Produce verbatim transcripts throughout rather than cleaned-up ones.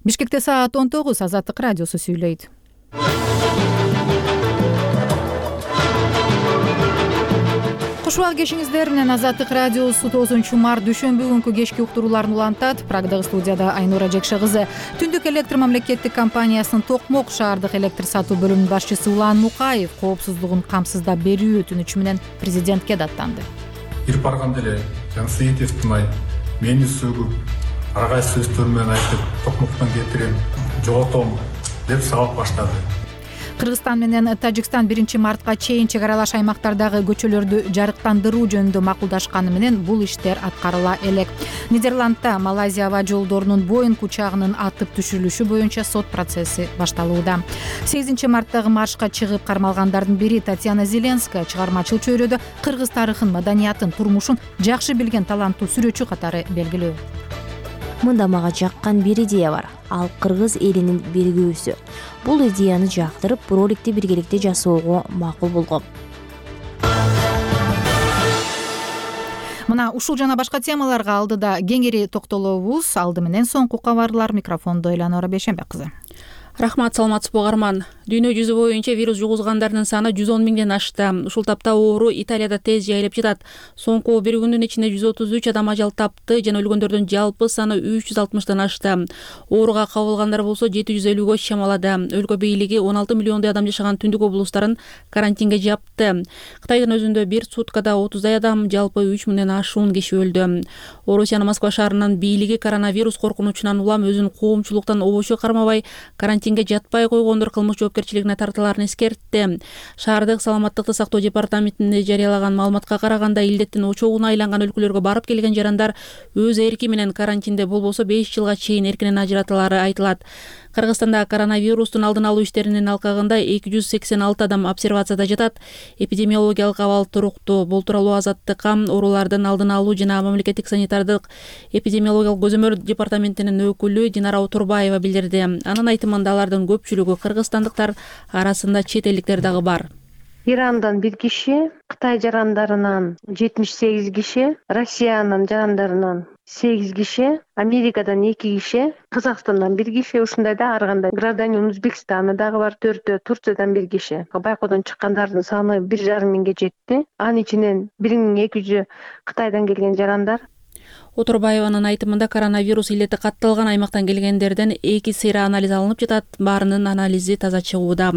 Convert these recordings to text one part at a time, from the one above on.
Бишкекте саат он тогуз. Азаттык радиосу сүйлөйт. Куш убак кешиңиздер менен Азаттык радиосу тогузунчу март дүйшөмбү күнкү кечки уктурууларын улантат. Прагдагы студияда Айнура Жекше кызы. Түндүк электр мамлекеттик компаниясынын Токмок шаардык электр сатуу бөлүмүнүн башчысы Улан Мукаев коопсуздугун камсыздап берүү өтүнүчү менен президентке даттанды. Бир барганда эле Жансейит Эстимай мени сөгүп, ар кайсы сөздөр менен айтып, Токмоктон кетирем, жоготом деп сабак баштады. Кыргызстан менен Тажикстан биринчи мартка чейин чек аралаш аймактардагы көчөлөрдү жарыктандыруу жөнүндө макулдашканы менен бул иштер аткарыла элек. Нидерландда Малайзия аба жолдорунун Боинг учагынын атып түшүрүлүшү боюнча сот процесси башталууда. сегизинчи марттагы маршка чыгып кармалгандардын бири Татьяна Зеленская чыгармачыл чөйрөдө кыргыз тарыхын, маданиятын, турмушун жакшы билген таланттуу сүрөтчү катары белгилүү. Мында мага жаккан бир идея бар. Ал кыргыз элинин биригүүсү. Бул идеяны жактырып, роликти биргеликте жасоого макул болгом. Мына ушул жана башка темаларга алдыда кеңири токтолобуз. Алды менен соңку кабарлар. Микрофондо Эланора Бейшенбек кызы. Рахмат, саламатсызбы угарман. Дүйнө жүзү боюнча вирус жугузгандардын саны жүз он миңден ашты. Ушул тапта оору Италияда тез жайылып жатат. Соңку бир күндүн ичинде жүз отуз үч адам ажал тапты жана өлгөндөрдүн жалпы саны үч жүз алтымыштан ашты. Ооруга кабылгандар болсо жети жүз элүүгө чамалады. Өлкө бийлиги он алты миллиондой адам жашаган түндүк облустарын карантинге жапты. Кытайдын өзүндө бир суткада отуздай адам, жалпы үч миңден ашуун киши өлдү. Орусиянын Москва шаарынын бийлиги коронавирус коркунучунан улам өзүн коомчулуктан обочо кармабай, карантинге жатпай койгондор кылмыш жоопкерчилигине тартылаарын эскертти. Шаардык саламаттыкты сактоо департаментинде жарыялаган маалыматка караганда, илдеттин очогуна айланган өлкөлөргө барып келген жарандар өз эрки менен карантинде болбосо беш жылга чейин эркинен ажыратылары айтылат. Кыргызстанда коронавирустун алдын алуу иштеринин алкагында эки жүз сексен алты адам обсервацияда жатат. Эпидемиологиялык абал туруктуу. Бул тууралуу Азаттыкка оорулардын алдын алуу жана мамлекеттик санитардык эпидемиологиялык көзөмөл департаментинин өкүлү Динара Отурбаева билдирди. Анын айтымында алардын көпчүлүгү кыргызстандыктар, арасында чет элдиктер дагы бар. Ирандан бир киши, Кытай жарандарынан жетимиш сегиз киши, Россиянын жарандарынан сегиз киши, Америкадан эки киши, Казакстандан бир киши, ушундай да ар кандай гражданин Өзбекстаны дагы бар төртөө, Турциядан бир киши. Байкоодон чыккандардын саны бир жарым миңге жетти. Анын ичинен бир миң эки жүзү Кытайдан келген жарандар. Отурбаеванын айтымында коронавирус илети катталган аймактан келгендерден эки сыйра анализ алынып жатат. Баарынын анализи таза чыгууда.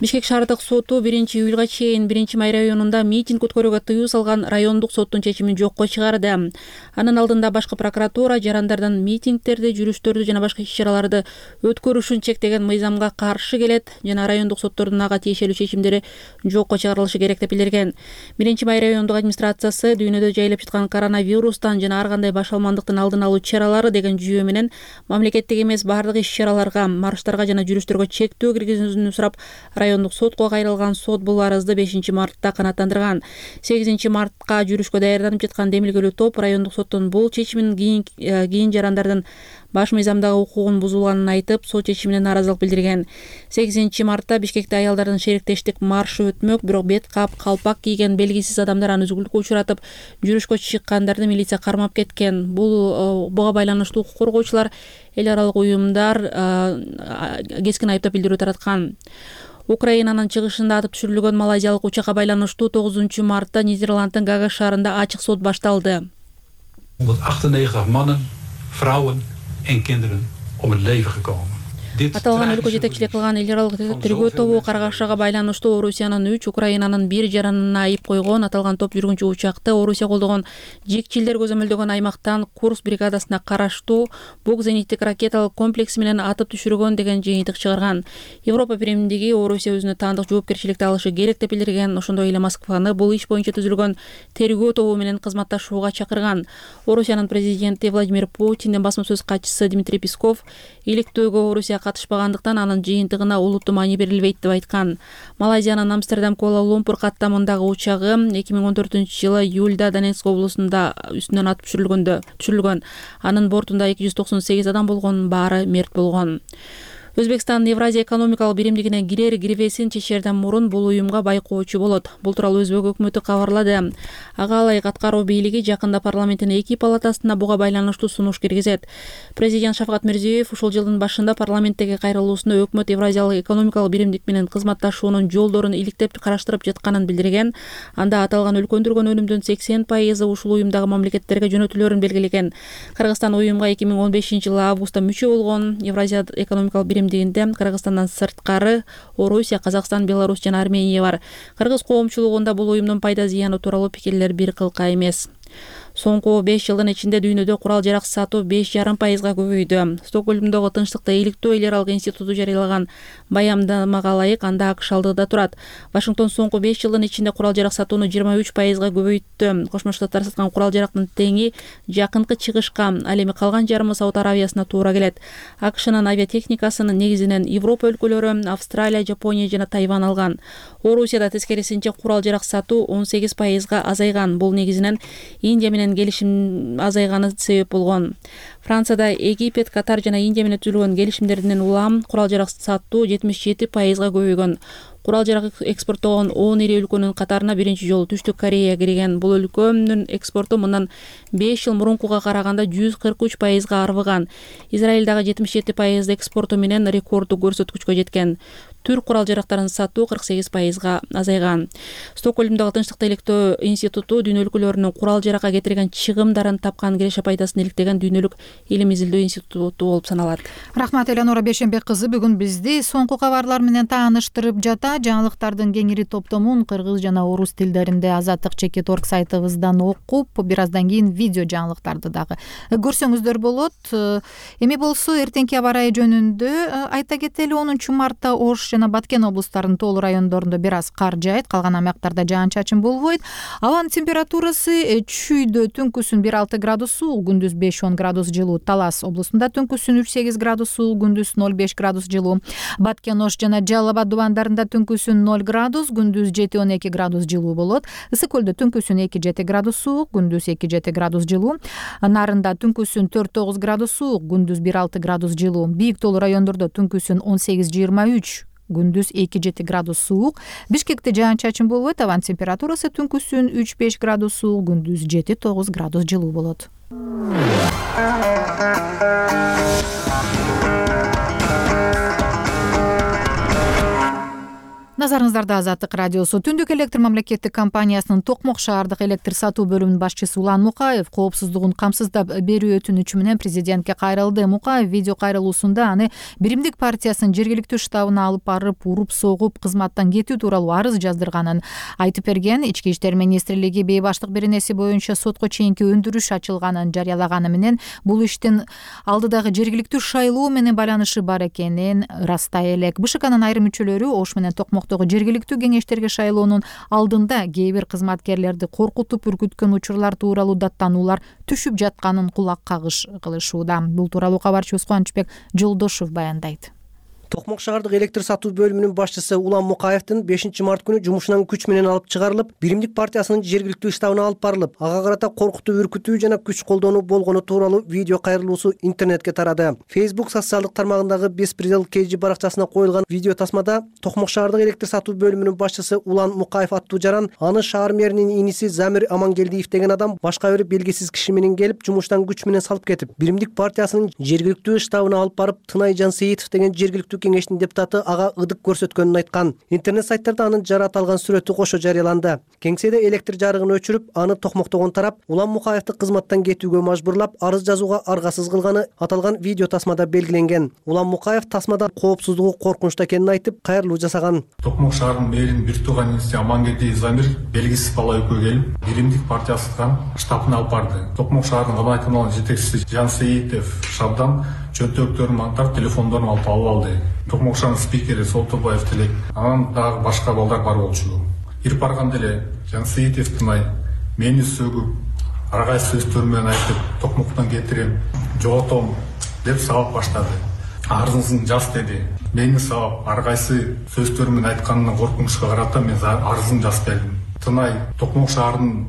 Бишкек шаардык соту биринчи июлга чейин биринчи май районунда митинг өткөрүүгө тыюу салган райондук соттун чечимин жокко чыгарды. Анын алдында башкы прокуратура жарандардан митингдерди, жүрүштөрдү жана башка иш-чараларды өткөрүшүн чектеген мыйзамга каршы келет жана райондук соттордун ага тиешелүү чечимдери жокко чыгарылышы керек деп билдирген. биринчи май райондук администрациясы дүйнөдө жайылып жаткан коронавирустан жана ар кандай башалмандыктын алдын алуу чаралары деген жүйө менен мамлекеттик эмес бардык иш-чараларга, марштарга жана жүрүштөргө чектөө киргизүүнү сурап райондук сотко кайрылган. Сот бул арызды бешинчи мартта канааттандырган. сегизинчи мартка жүрүшкө даярданып жаткан демилгелүү топ райондук соттун бул чечимин кийин кийин жарандардын баш мыйзамдагы укугун бузулганын айтып, сот чечимине нааразылык билдирген. сегизинчи мартта Бишкекте аялдардын шериктештик маршы өтмөк, бирок бет кап, калпак кийген белгисиз адамдар аны үзгүлтүккө учуратып, жүрүшкө чыккандарды милиция кармап кеткен. Бул буга байланыштуу укук коргоочулар, эл аралык уюмдар кескин айыптап билдирүү тараткан. Украинанын чыгышында атып түшүрүлгөн малайзиялык учакка байланыштуу тогузунчу мартта Нидерланддын Гага шаарында ачык сот башталды. honderdachtennegentig mannen, vrouwen en kinderen om het leven gekomen. Аталган өлкө жетекчилик кылган эл аралык тергөө тобу каргашага байланыштуу Орусиянын үч, Украинанын бир жаранына айып койгон. Аталган топ жүргүнчү учакты Орусия колдогон жикчилдер көзөмөлдөгөн аймактан Курск бригадасына караштуу бук зениттик ракеталык комплекси менен атып түшүргөн деген жыйынтык чыгарган. Европа биримдиги Орусия өзүнө таандык жоопкерчиликти алышы керек деп билдирген. Ошондой эле Москваны бул иш боюнча түзүлгөн тергөө тобу менен кызматташууга чакырган. Орусиянын президенти Владимир Путиндин басма сөз катчысы Дмитрий Песков иликтөөгө Орусия катышпагандыктан анын жыйынтыгына улуттуу маани берилбейт деп айткан. Малайзиянын Амстердам Куала Лумпур каттамындагы учагы эки миң он төртүнчү жылы июлда Донецк облусунда үстүнөн атып түшүрүлгөндө түшүрүлгөн. Анын бортунда эки жүз токсон сегиз адам болгон, баары мерт болгон. Өзбекстан Евразия экономикалык биримдигине кирер кирбесин чечерден мурун бул уюмга байкоочу болот. Бул тууралуу Өзбек өкмөтү кабарлады. Ага ылайык аткаруу бийлиги жакында парламенттин эки палатасына буга байланыштуу сунуш киргизет. Президент Шавкат Мирзиёев ушул жылдын башында парламенттеги кайрылуусунда өкмөт Евразиялык экономикалык биримдик менен кызматташуунун жолдорун иликтеп караштырып жатканын билдирген. Анда аталган өлкөндүргөн өнүмдүн сексен пайызы ушул уюмдагы мамлекеттерге жөнөтүлөрүн белгилеген. Кыргызстан уюмга эки миң он бешинчи жылы августта мүчө болгон. Евразия экономикалык биримдигинде Кыргызстандан сырткары Орусия, Казакстан, Беларусь жана Армения бар. Кыргыз коомчулугунда бул уюмдун пайда зыяны тууралуу пикирлер бир кылка эмес. Соңку беш жылдын ичинде дүйнөдө курал-жарак сатуу беш жарым пайызга көбөйдү. Стокгольмдогу Тынчтыкты иликтөө эл аралык институту жарыялаган баяндамага ылайык анда АКШ алдыда турат. Вашингтон соңку беш жылдын ичинде курал-жарак сатууну жыйырма үч пайызга көбөйттү. Кошмо Штаттар саткан курал-жарактын теңи жакынкы чыгышка, ал эми калган жарымы Сауд Аравиясына туура келет. АКШнын авиатехникасынын негизинен Европа өлкөлөрү, Австралия, Жапония жана Тайвань алган. Орусияда тескерисинче курал-жарак сатуу он сегиз пайызга азайган. Бул негизинен Индия менен келишим азайганы себеп болгон. Францияда Египет, Катар жана Индия менен түзүлгөн келишимдерден улам курал-жарак сатуу жетимиш жети пайызга көбөйгөн. Курал-жарак экспорттогон он ири өлкөнүн катарына биринчи жолу Түштүк Корея кирген. Бул өлкөнүн экспорту мындан беш жыл мурункуга караганда жүз кырк үч пайызга арбыган. Израиль дагы жетимиш жети пайыз экспорту менен рекорддук көрсөткүчкө жеткен. Түрк курал-жарактарын сатуу кырк сегиз пайызга азайган. Стокгольмдогу Тынчтыкты иликтөө институту дүйнө өлкөлөрүнүн курал-жаракка кетирген чыгымдарын тапкан киреше пайдасын иликтеген дүйнөлүк илим изилдөө институту болуп саналат. Рахмат, Элеонора Бейшенбек кызы бүгүн бизди соңку кабарлар менен тааныштырып жата. Жаңылыктардын кеңири топтомун кыргыз жана орус тилдеринде Азаттык чекит орг сайтыбыздан окуп, бир аздан кийин видео жаңылыктарды дагы көрсөңүздөр болот. Эми болсо эртеңки аба ырайы жөнүндө айта кетели. онунчу мартта Ош жана Баткен облустарынын тоолуу райондорунда бир аз кар жаайт, калган аймактарда жаан-чачын болбойт. Абанын температурасы чүйдө түнкүсүн бир алты градус суук, күндүз беш он градус жылуу. Талас облусунда түнкүсүн үч сегиз градус суук, күндүз ноль беш градус жылуу. Баткен, Ош жана Жалал Абад дубандарында түнкүсүн ноль градус, күндүз жети он эки градус жылуу болот. Ысык көлдө түнкүсүн эки жети градус суук, күндүз эки жети градус жылуу. Нарында түнкүсүн төрт тогуз градус суук, күндүз бир алты градус жылуу. Бийик тоолуу райондордо түнкүсүн он сегиз жыйырма үч, күндүз эки жети градус суук. Бишкекте жаан-чачын болбойт, абанын температурасы түнкүсүн үч беш градус суук, күндүз жети тогуз градус жылуу болот. Назарыңыздарда Азаттык радиосу. Түндүк электр мамлекеттик компаниясынын Токмок шаардык электр сатуу бөлүмүнүн башчысы Улан Мукаев коопсуздугун камсыздап берүү өтүнүчү менен президентке кайрылды. Мукаев видео кайрылуусунда аны Биримдик партиясынын жергиликтүү штабына алып барып, уруп согуп, кызматтан кетүү тууралуу арыз жаздырганын айтып берген. Ички иштер министрлиги бейбаштык беренеси боюнча сотко чейинки өндүрүш ачылганын жарыялаганы менен бул иштин алдыдагы жергиликтүү шайлоо менен байланышы бар экенин ырастай элек. БШКнын айрым мүчөлөрү Ош менен Токмок жергиликтүү кеңештерге шайлоонун алдында кээ бир кызматкерлерди коркутуп үркүткөн учурлар тууралуу даттануулар түшүп жатканын кулак кагыш кылышууда. Бул тууралуу кабарчыбыз Кубанычбек Жолдошов баяндайт. Токмок шаардык электр сатуу бөлүмүнүн башчысы Улан Мукаевдин бешинчи март күнү жумушунан күч менен алып чыгарылып, Биримдик партиясынын жергиликтүү штабына алып барылып, ага карата коркутуу, үркүтүү жана күч колдонуу болгону тууралуу видео кайрылуусу интернетке тарады. Facebook социалдык тармагындагы Беспредел Кежи баракчасына коюлган видео тасмада Токмок шаардык электр сатуу бөлүмүнүн башчысы Улан Мукаев аттуу жаран аны шаар мэринин иниси Замир Амангелдиев деген адам башка бир белгисиз киши менен келип, жумуштан күч менен салып кетип, Биримдик партиясынын жергиликтүү штабына алып барып, Тынайжан Сейитов деген жергиликтүү кеңештин депутаты ага ыдык көрсөткөнүн айткан. Интернет сайттарда анын жара аталган сүрөтү кошо жарыяланды. Кеңседе электр жарыгын өчүрүп, аны токмоктогон тарап Улан Мукаевди кызматтан кетүүгө мажбурлап, арыз жазууга аргасыз кылганы аталган видео тасмада белгиленген. Улан Мукаев тасмада коопсуздугу коркунучта экенин айтып, кайрылуу жасаган. Токмок шаарынын мэринин бир тууган иниси Амангелдиев Замир белгисиз бала экөө келип, Биримдик партиясынын штабына алып барды. Токмок шаарынын кабай каналынын жетекчиси Жан Сейитов шабдан чөнтөктөрүн антап, телефондорун алып алып алды. Токмок шаарынын спикери Солтонбаев Телек, анан дагы башка балдар бар болчу. Ирип барганда эле Жан Сейитов Тынай мени сөгүп, аргай сөздөр менен айтып, Токмоктон кетирем, жоготом деп сабап баштады. Арызыңызды жаз деди. Мени сабап, аргайсы сөздөр менен айтканына коркунучка карата мен арызын жазып бердим. Тынай Токмок шаарынын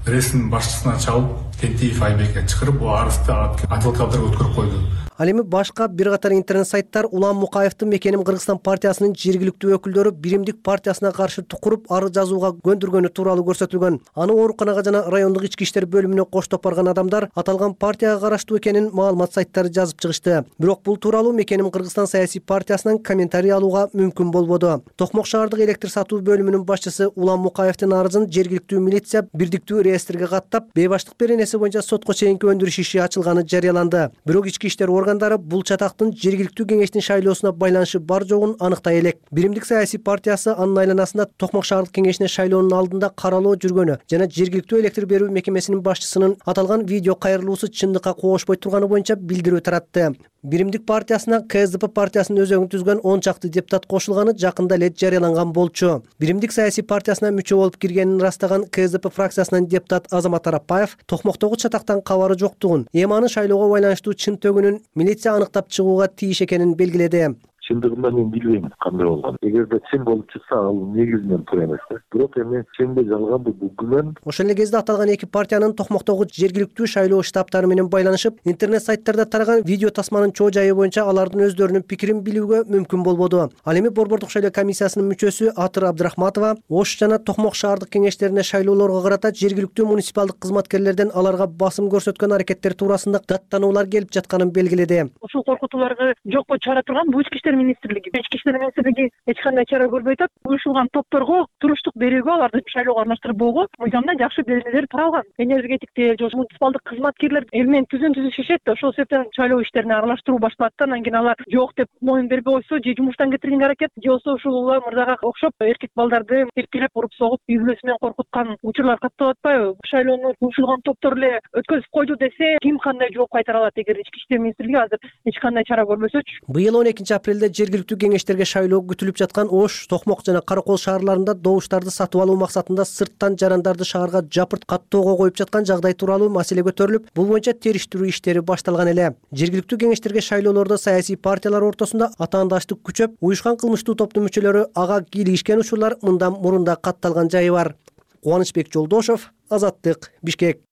ресминин башчысына чалып, Тентиев Айбекке чакырып, бул арызды адвокаттар өткөрүп койду. Ал эми башка бир катар интернет сайттар Улам Мукаевдин Мекеним Кыргызстан партиясынын жергиликтүү өкүлдөрү биримдик партиясына каршы тукуруп арыз жазууга көндүргөнү тууралуу көрсөтүлгөн. Аны ооруканага жана райондук ички иштер бөлүмүнө коштоп барган адамдар аталган партияга караштуу экенин маалымат сайттары жазып чыгышты. Бирок бул тууралуу Мекеним Кыргызстан саясий партиясынан комментарий алууга мүмкүн болбоду. Токмок шаардык электр сатуу бөлүмүнүн башчысы Улам Мукаевдин арызын жергиликтүү милиция бирдиктүү реестрге каттап, бейбаштык беренеси боюнча сотко чейинки өндүрүш иши ачылганы жарыяланды. Бирок ички иштер органдары бул чатактын жергиликтүү кеңештин шайлоосуна байланышы бар жогун аныктай элек. Биримдик саясий партиясы анын айланасында Токмок шаардык кеңешине шайлоонун алдында каралоо жүргөнү жана жергиликтүү электр берүү мекемесинин башчысынын аталган видео кайрылуусу чындыкка коошпой турганы боюнча билдирүү таратты. Биримдик партиясына КСДП партиясынын өзөгүн түзгөн он чакты депутат кошулганы жакында эле жарыяланган болчу. Биримдик саясий партиясына мүчө болуп киргенин ырастаган КСДП фракциясынын депутат Азамат Арапбаев Токмоктогу чатактан кабары жоктугун, эми анын шайлоого байланыштуу чын төгүнүн милиция аныктап чыгууга тийиш экенин белгиледи. Чындыгында мен билбейм кандай болгонун. Эгерде чын болуп чыкса, ал негизинен туура эмес да. Бирок эми чынында жалганбы бул күмөн. Ошол эле кезде аталган эки партиянын Токмоктогу жергиликтүү шайлоо штабтары менен байланышып, интернет сайттарда тараган видео тасманын чоо жайы боюнча алардын өздөрүнүн пикирин билүүгө мүмкүн болбоду. Ал эми Борбордук шайлоо комиссиясынын мүчөсү Атыр Абдрахматова Ош жана Токмок шаардык кеңештерине шайлоолорго карата жергиликтүү муниципалдык кызматкерлерден аларга басым көрсөткөн аракеттер туурасында даттануулар келип жатканын белгиледи. Ушул коркутууларга жокко чыгара турган бул ички иштер министрлиги. Ички иштер министрлиги эч кандай чара көрбөй атат. Уюшулган топторго туруштук берүүгө, аларды шайлоого аралаштырбоого мыйзамда жакшы белгилер таралган. Энергетиктер, же муниципалдык кызматкерлер эл менен түзөн түзүшүшөт да, ошол себептен шайлоо иштерине аралаштыруу башталат да, анан кийин алар жок деп моюн бербей койсо, же жумуштан кетиргенге аракет, же болбосо ушул Улам мырзага окшоп эркек балдарды эркелеп уруп согуп, үй бүлөсү менен коркуткан учурлар катталып атпайбы? Шайлоону уюшулган топтор эле өткөзүп койду десе, ким кандай жооп кайтара алат эгер ички иштер министрлиги азыр эч кандай чара көрбөсөчү? Быйыл он экинчи апрелде жергиликтүү кеңештерге шайлоо күтүлүп жаткан Ош, Токмок жана Каракол шаарларында добуштарды сатып алуу максатында сырттан жарандарды шаарга жапырт каттоого коюп жаткан жагдай тууралуу маселе көтөрүлүп, бул боюнча териштирүү иштери башталган эле. Жергиликтүү кеңештерге шайлоолордо саясий партиялар ортосунда атаандаштык күчөп, уюшкан кылмыштуу топтун мүчөлөрү ага кийлигишкен учурлар мындан мурун да катталган жайы бар. Кубанычбек Жолдошов, Азаттык, Бишкек.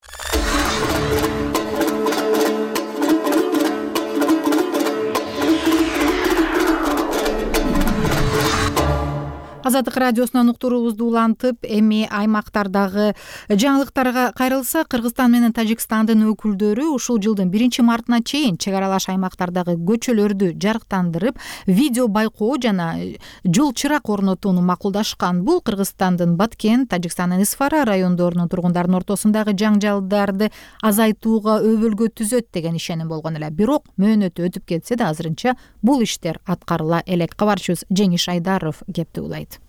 Азаттык радиосунан уктуруубузду улантып, эми аймактардагы жаңылыктарга кайрылса, Кыргызстан менен Тажикстандын өкүлдөрү ушул жылдын биринчи мартына чейин чек аралаш аймактардагы көчөлөрдү жарыктандырып, видео байкоо жана жол чырак орнотууну макулдашкан. Бул Кыргызстандын Баткен, Тажикстандын Исфара райондорунун тургундарынын ортосундагы жаңжалдарды азайтууга өбөлгө түзөт деген ишеним болгон эле. Бирок мөөнөтү өтүп кетсе да азырынча бул иштер аткарыла элек. Кабарчыбыз Жеңиш Айдаров кепти улайт.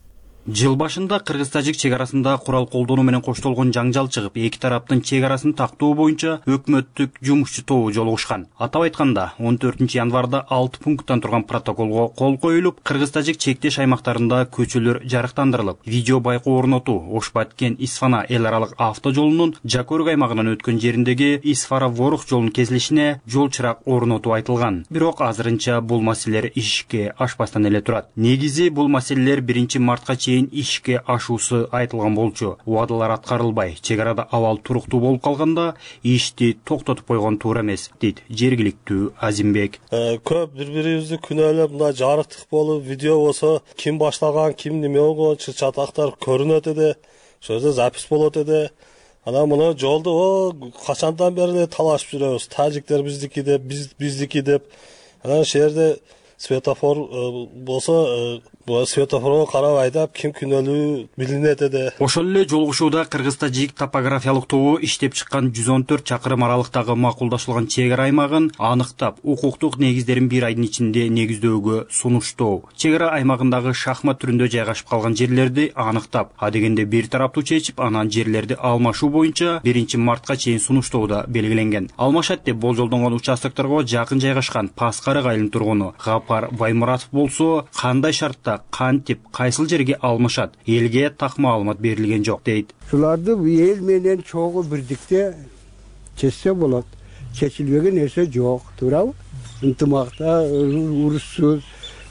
Жыл башында Кыргыз-Тажик чек арасында курал колдонуу менен коштолгон жаңжал чыгып, эки тараптын чек арасын тактоо боюнча өкмөттүк жумушчу тобу жолугушкан. Атап айтканда, он төртүнчү январда алты пункттан турган протоколго кол коюлуп, Кыргыз-Тажик чектеш аймактарында көчөлөр жарыктандырылып, видео байкоо орнотуу Ош-Баткен Исфана эл аралык авто жолунун Жакөрүк аймагынан өткөн жериндеги Исфара-Ворух жолунун кесилишине жол чырак орнотуу айтылган. Бирок азырынча бул маселелер ишке ашпастан эле турат. Негизи бул маселелер биринчи мартка чейин ишке ашуусу айтылган болчу. Убадалар аткарылбай, чек арада абал туруктуу болуп калганда ишти токтотуп койгон туура эмес, дейт жергиликтүү Азимбек. Көп бири-бирибизди күнөөлөп, мындай жарыктык болуп, видео болсо, ким баштаган, ким неме болгон, чатактар көрүнөт эде, ошол жерде запись болот эде. Анан мына жолду о качандан бери эле талашып жүрөбүз. Тажиктер биздики деп, биз биздики деп. Анан ошол жерде светофор болсо, бул светофорго карап айдап, ким күнөөлүү билинет эде. Ошол эле жолугушууда Кыргыз-Тажик топографиялык тобу иштеп чыккан жүз он төрт чакырым аралыктагы макулдашылган чек ара аймагын аныктап, укуктук негиздерин бир айдын ичинде негиздөөгө сунуштоо. Чек ара аймагындагы шахмат түрүндө жайгашып калган жерлерди аныктап, адегенде бир тараптуу чечип, анан жерлерди алмашуу боюнча биринчи мартка чейин сунуштоодо белгиленген. Алмашат деп болжолдонгон участокторго жакын жайгашкан Паскарык айылынын тургуну Гапар Баймуратов болсо, кандай шартта, кантип, кайсыл жерге алмашат, элге так маалымат берилген жок, дейт. Шуларды эл менен чогуу бирдикте чечсе болот. Чечилбеген нерсе жок, туурабы? Ынтымакта, урушсуз,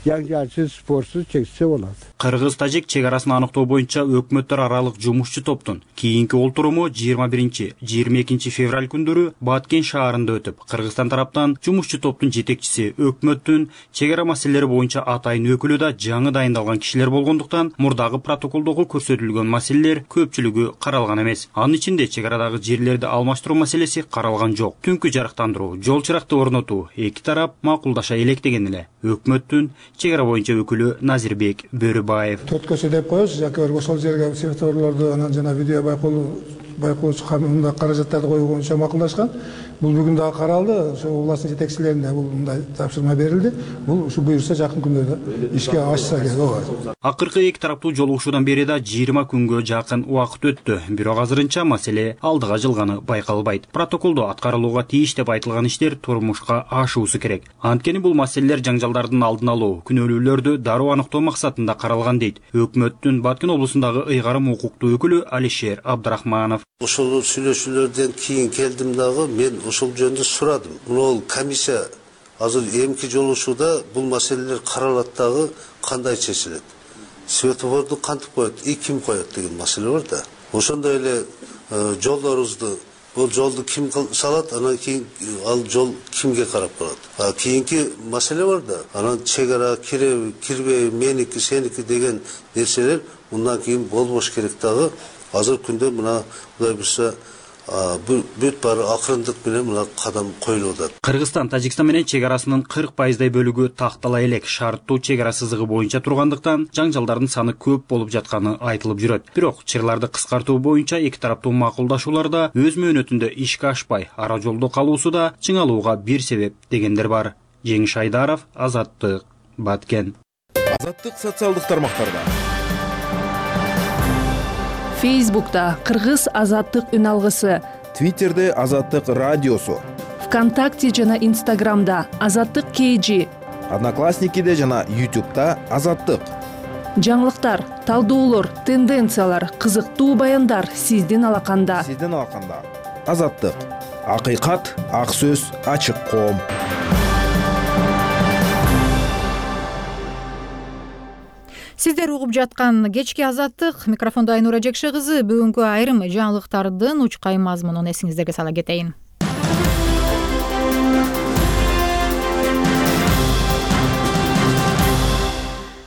жаңжалсыз спортсуз чечсе болот. Кыргыз-тажик чек арасын аныктоо боюнча өкмөттөр аралык жумушчу топтун кийинки олтуруму жыйырма биринчи жыйырма экинчи февраль күндөрү Баткен шаарында өтүп, Кыргызстан тараптан жумушчу топтун жетекчиси, өкмөттүн чек ара маселелери боюнча атайын өкүлү да жаңы дайындалган кишилер болгондуктан мурдагы протоколдогу көрсөтүлгөн маселелер көпчүлүгү каралган эмес. Анын ичинде чек арадагы жерлерди алмаштыруу маселеси каралган жок. Түнкү жарыктандыруу, жол чыракты орнотуу эки тарап макулдаша элек деген эле өкмөттүн чек ара боюнча өкүлү Назирбек Бөрүбаев. Төрт көчө деп коебуз, жаке өргө ошол жерге светофорлорду анан жана видео байкоолу байкоочу камында каражаттарды коюу боюнча макулдашкан. Бул бүгүн дагы каралды. Ошо областын жетекчилерине бул мындай тапшырма берилди. Бул ушу буюрса жакын күндөрдө ишке ашса керек. Ооба. Акыркы эки тараптуу жолугушуудан бери да жыйырма күнгө жакын убакыт өттү. Бирок азырынча маселе алдыга жылганы байкалбайт. Протоколдо аткарылууга тийиш деп айтылган иштер турмушка ашуусу керек. Анткени бул маселелер жаңжалдардын алдын алуу, күнөөлүүлөрдү дароо аныктоо максатында каралган дейт өкмөттүн Баткен облусундагы ыйгарым укуктуу өкүлү Алишер Абдрахманов. Ошол сүйлөшүүлөрдөн кийин келдим дагы мен ошол жөнүндө сурадым. Бул комиссия азыр эмки жолугушууда бул маселелер каралат дагы кандай чечилет? Светофорду кантип коет, и ким коет деген маселе бар да. Ошондой эле жолдорубузду бул жолду ким салат, анан кийин ал жол кимге карап калат. А кийинки маселе бар да. Анан чек ара кире кирбей, меники, сеники деген нерселер мындан кийин болбош керек дагы. Азыр күндө мына Кудай буйрса бүт баары акырындык менен мына кадам коюлуп атат. Кыргызстан Тажикстан менен чек арасынын кырк пайыздай бөлүгү тактала элек шарттуу чек ара сызыгы боюнча тургандыктан жаңжалдардын саны көп болуп жатканы айтылып жүрөт. Бирок чырларды кыскартуу боюнча эки тараптуу макулдашууларда өз мөөнөтүндө ишке ашпай, ара жолдо калуусу да чыңалууга бир себеп дегендер бар. Жеңиш Айдаров, Азаттык, Баткен. Азаттык социалдык тармактарда. Фейсбукта Кыргыз Азаттык үн алгысы, Твиттерде Азаттык радиосу, ВКонтакте жана Инстаграмда Азаттык кей жи, Одноклассникиде жана Ютубта Азаттык. Жаңылыктар, талдоолор, тенденциялар, кызыктуу баяндар сиздин алаканда. Сиздин алаканда. Азаттык. Акыйкат, ак сөз, ачык коом. Сиздер угуп жаткан кечки Азаттык, микрофондо Айнура Жекше кызы. Бүгүнкү айрым жаңылыктардын учкай мазмунун эсиңиздерге сала кетейин.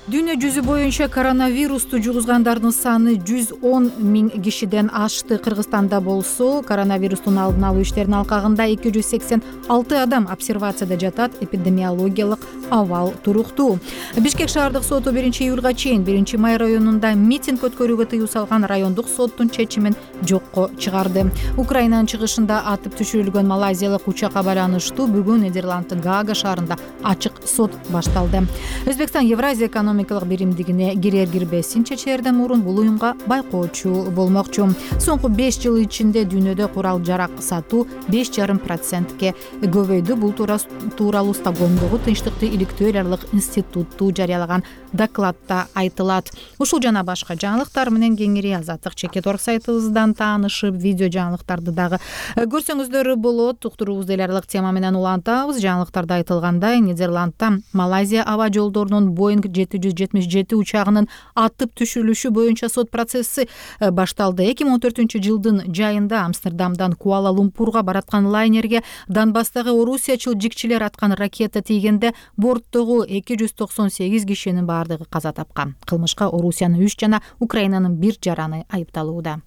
Дүйнө жүзү боюнча коронавирусту жугузгандардын саны жүз он миң кишиден ашты. Кыргызстанда болсо коронавирустун алдын алуу иштеринин алкагында эки жүз сексен алты адам обсервацияда жатат. Эпидемиологиялык абал туруктуу. Бишкек шаардык соту биринчи июлга чейин биринчи май районунда митинг өткөрүүгө тыюу салган райондук соттун чечимин жокко чыгарды. Украинанын чыгышында атып түшүрүлгөн малайзиялык учакка байланыштуу бүгүн Нидерланддын Гаага шаарында ачык сот башталды. Өзбекстан Евразия экономикалык биримдигине кирер кирбесин чечерден мурун бул уюмга байкоочу болмокчу. Соңку беш жыл ичинде дүйнөдө курал жарак сатуу беш жарым процентке көбөйдү. Бул тууралуу Стокгольмдогу Тынчтыкты иликтөө эл аралык институту жарыялаган докладта айтылат. Ушул жана башка жаңылыктар менен кеңири Азаттык чекит орг сайтыбыздан таанышып, видео жаңылыктарды дагы көрсөңүздөр болот. Уктуруубузду эл аралык тема менен улантабыз. Жаңылыктарда айтылгандай, Нидерландда Малайзия аба жолдорунун Боинг жети жүз жетимиш жети учагынын атып түшүрүлүшү боюнча сот процесси башталды. эки миң он төртүнчү жылдын жайында Амстердамдан Куала-Лумпурга бараткан лайнерге Донбасстагы орусиячыл жикчилер аткан ракета тийгенде борттогу эки жүз токсон сегиз кишинин баардыгы каза тапкан. Кылмышка Орусиянын үч жана Украинанын бир жараны айыпталууда.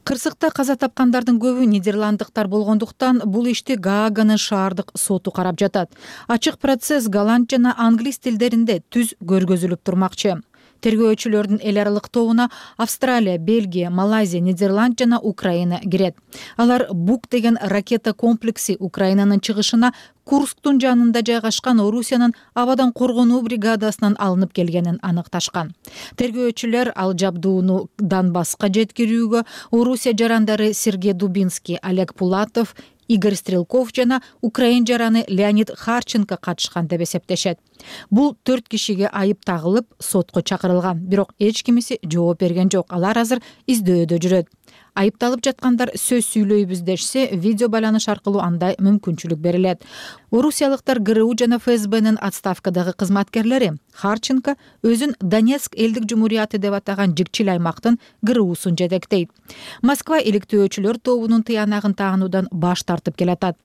Кырсыкта каза тапкандардын көбү нидерланддыктар болгондуктан бул ишти Гааганын шаардык соту карап жатат. Ачык процесс голланд жана англис тилдеринде түз көргөзүлүп турмакчы. Тергөөчүлөрдүн эл аралык тобуна Австралия, Бельгия, Малайзия, Нидерланд жана Украина кирет. Алар Бук деген ракета комплекси Украинанын чыгышына Курсктун жанында жайгашкан Орусиянын абадан коргонуу бригадасынан алынып келгенин аныкташкан. Тергөөчүлөр ал жабдууну Донбасска жеткирүүгө Орусия жарандары Сергей Дубинский, Олег Пулатов, Игорь Стрелков жана украин жараны Леонид Харченко катышкан деп эсептешет. Бул төрт кишиге айып тагылып, сотко чакырылган, бирок эч кимиси жооп берген жок. Алар азыр издөөдө жүрөт. Айыпталып жаткандар сөз сүйлөйбүз дешсе, видео байланыш аркылуу андай мүмкүнчүлүк берилет. Орусиялыктар ГРУ жана ФСБнын отставкадагы кызматкерлери Харченко өзүн Донецк элдик жумурияты деп атаган жикчил аймактын ГРУсун жетектейт. Москва иликтөөчүлөр тобунун тыянагын таануудан баш тартып келатат.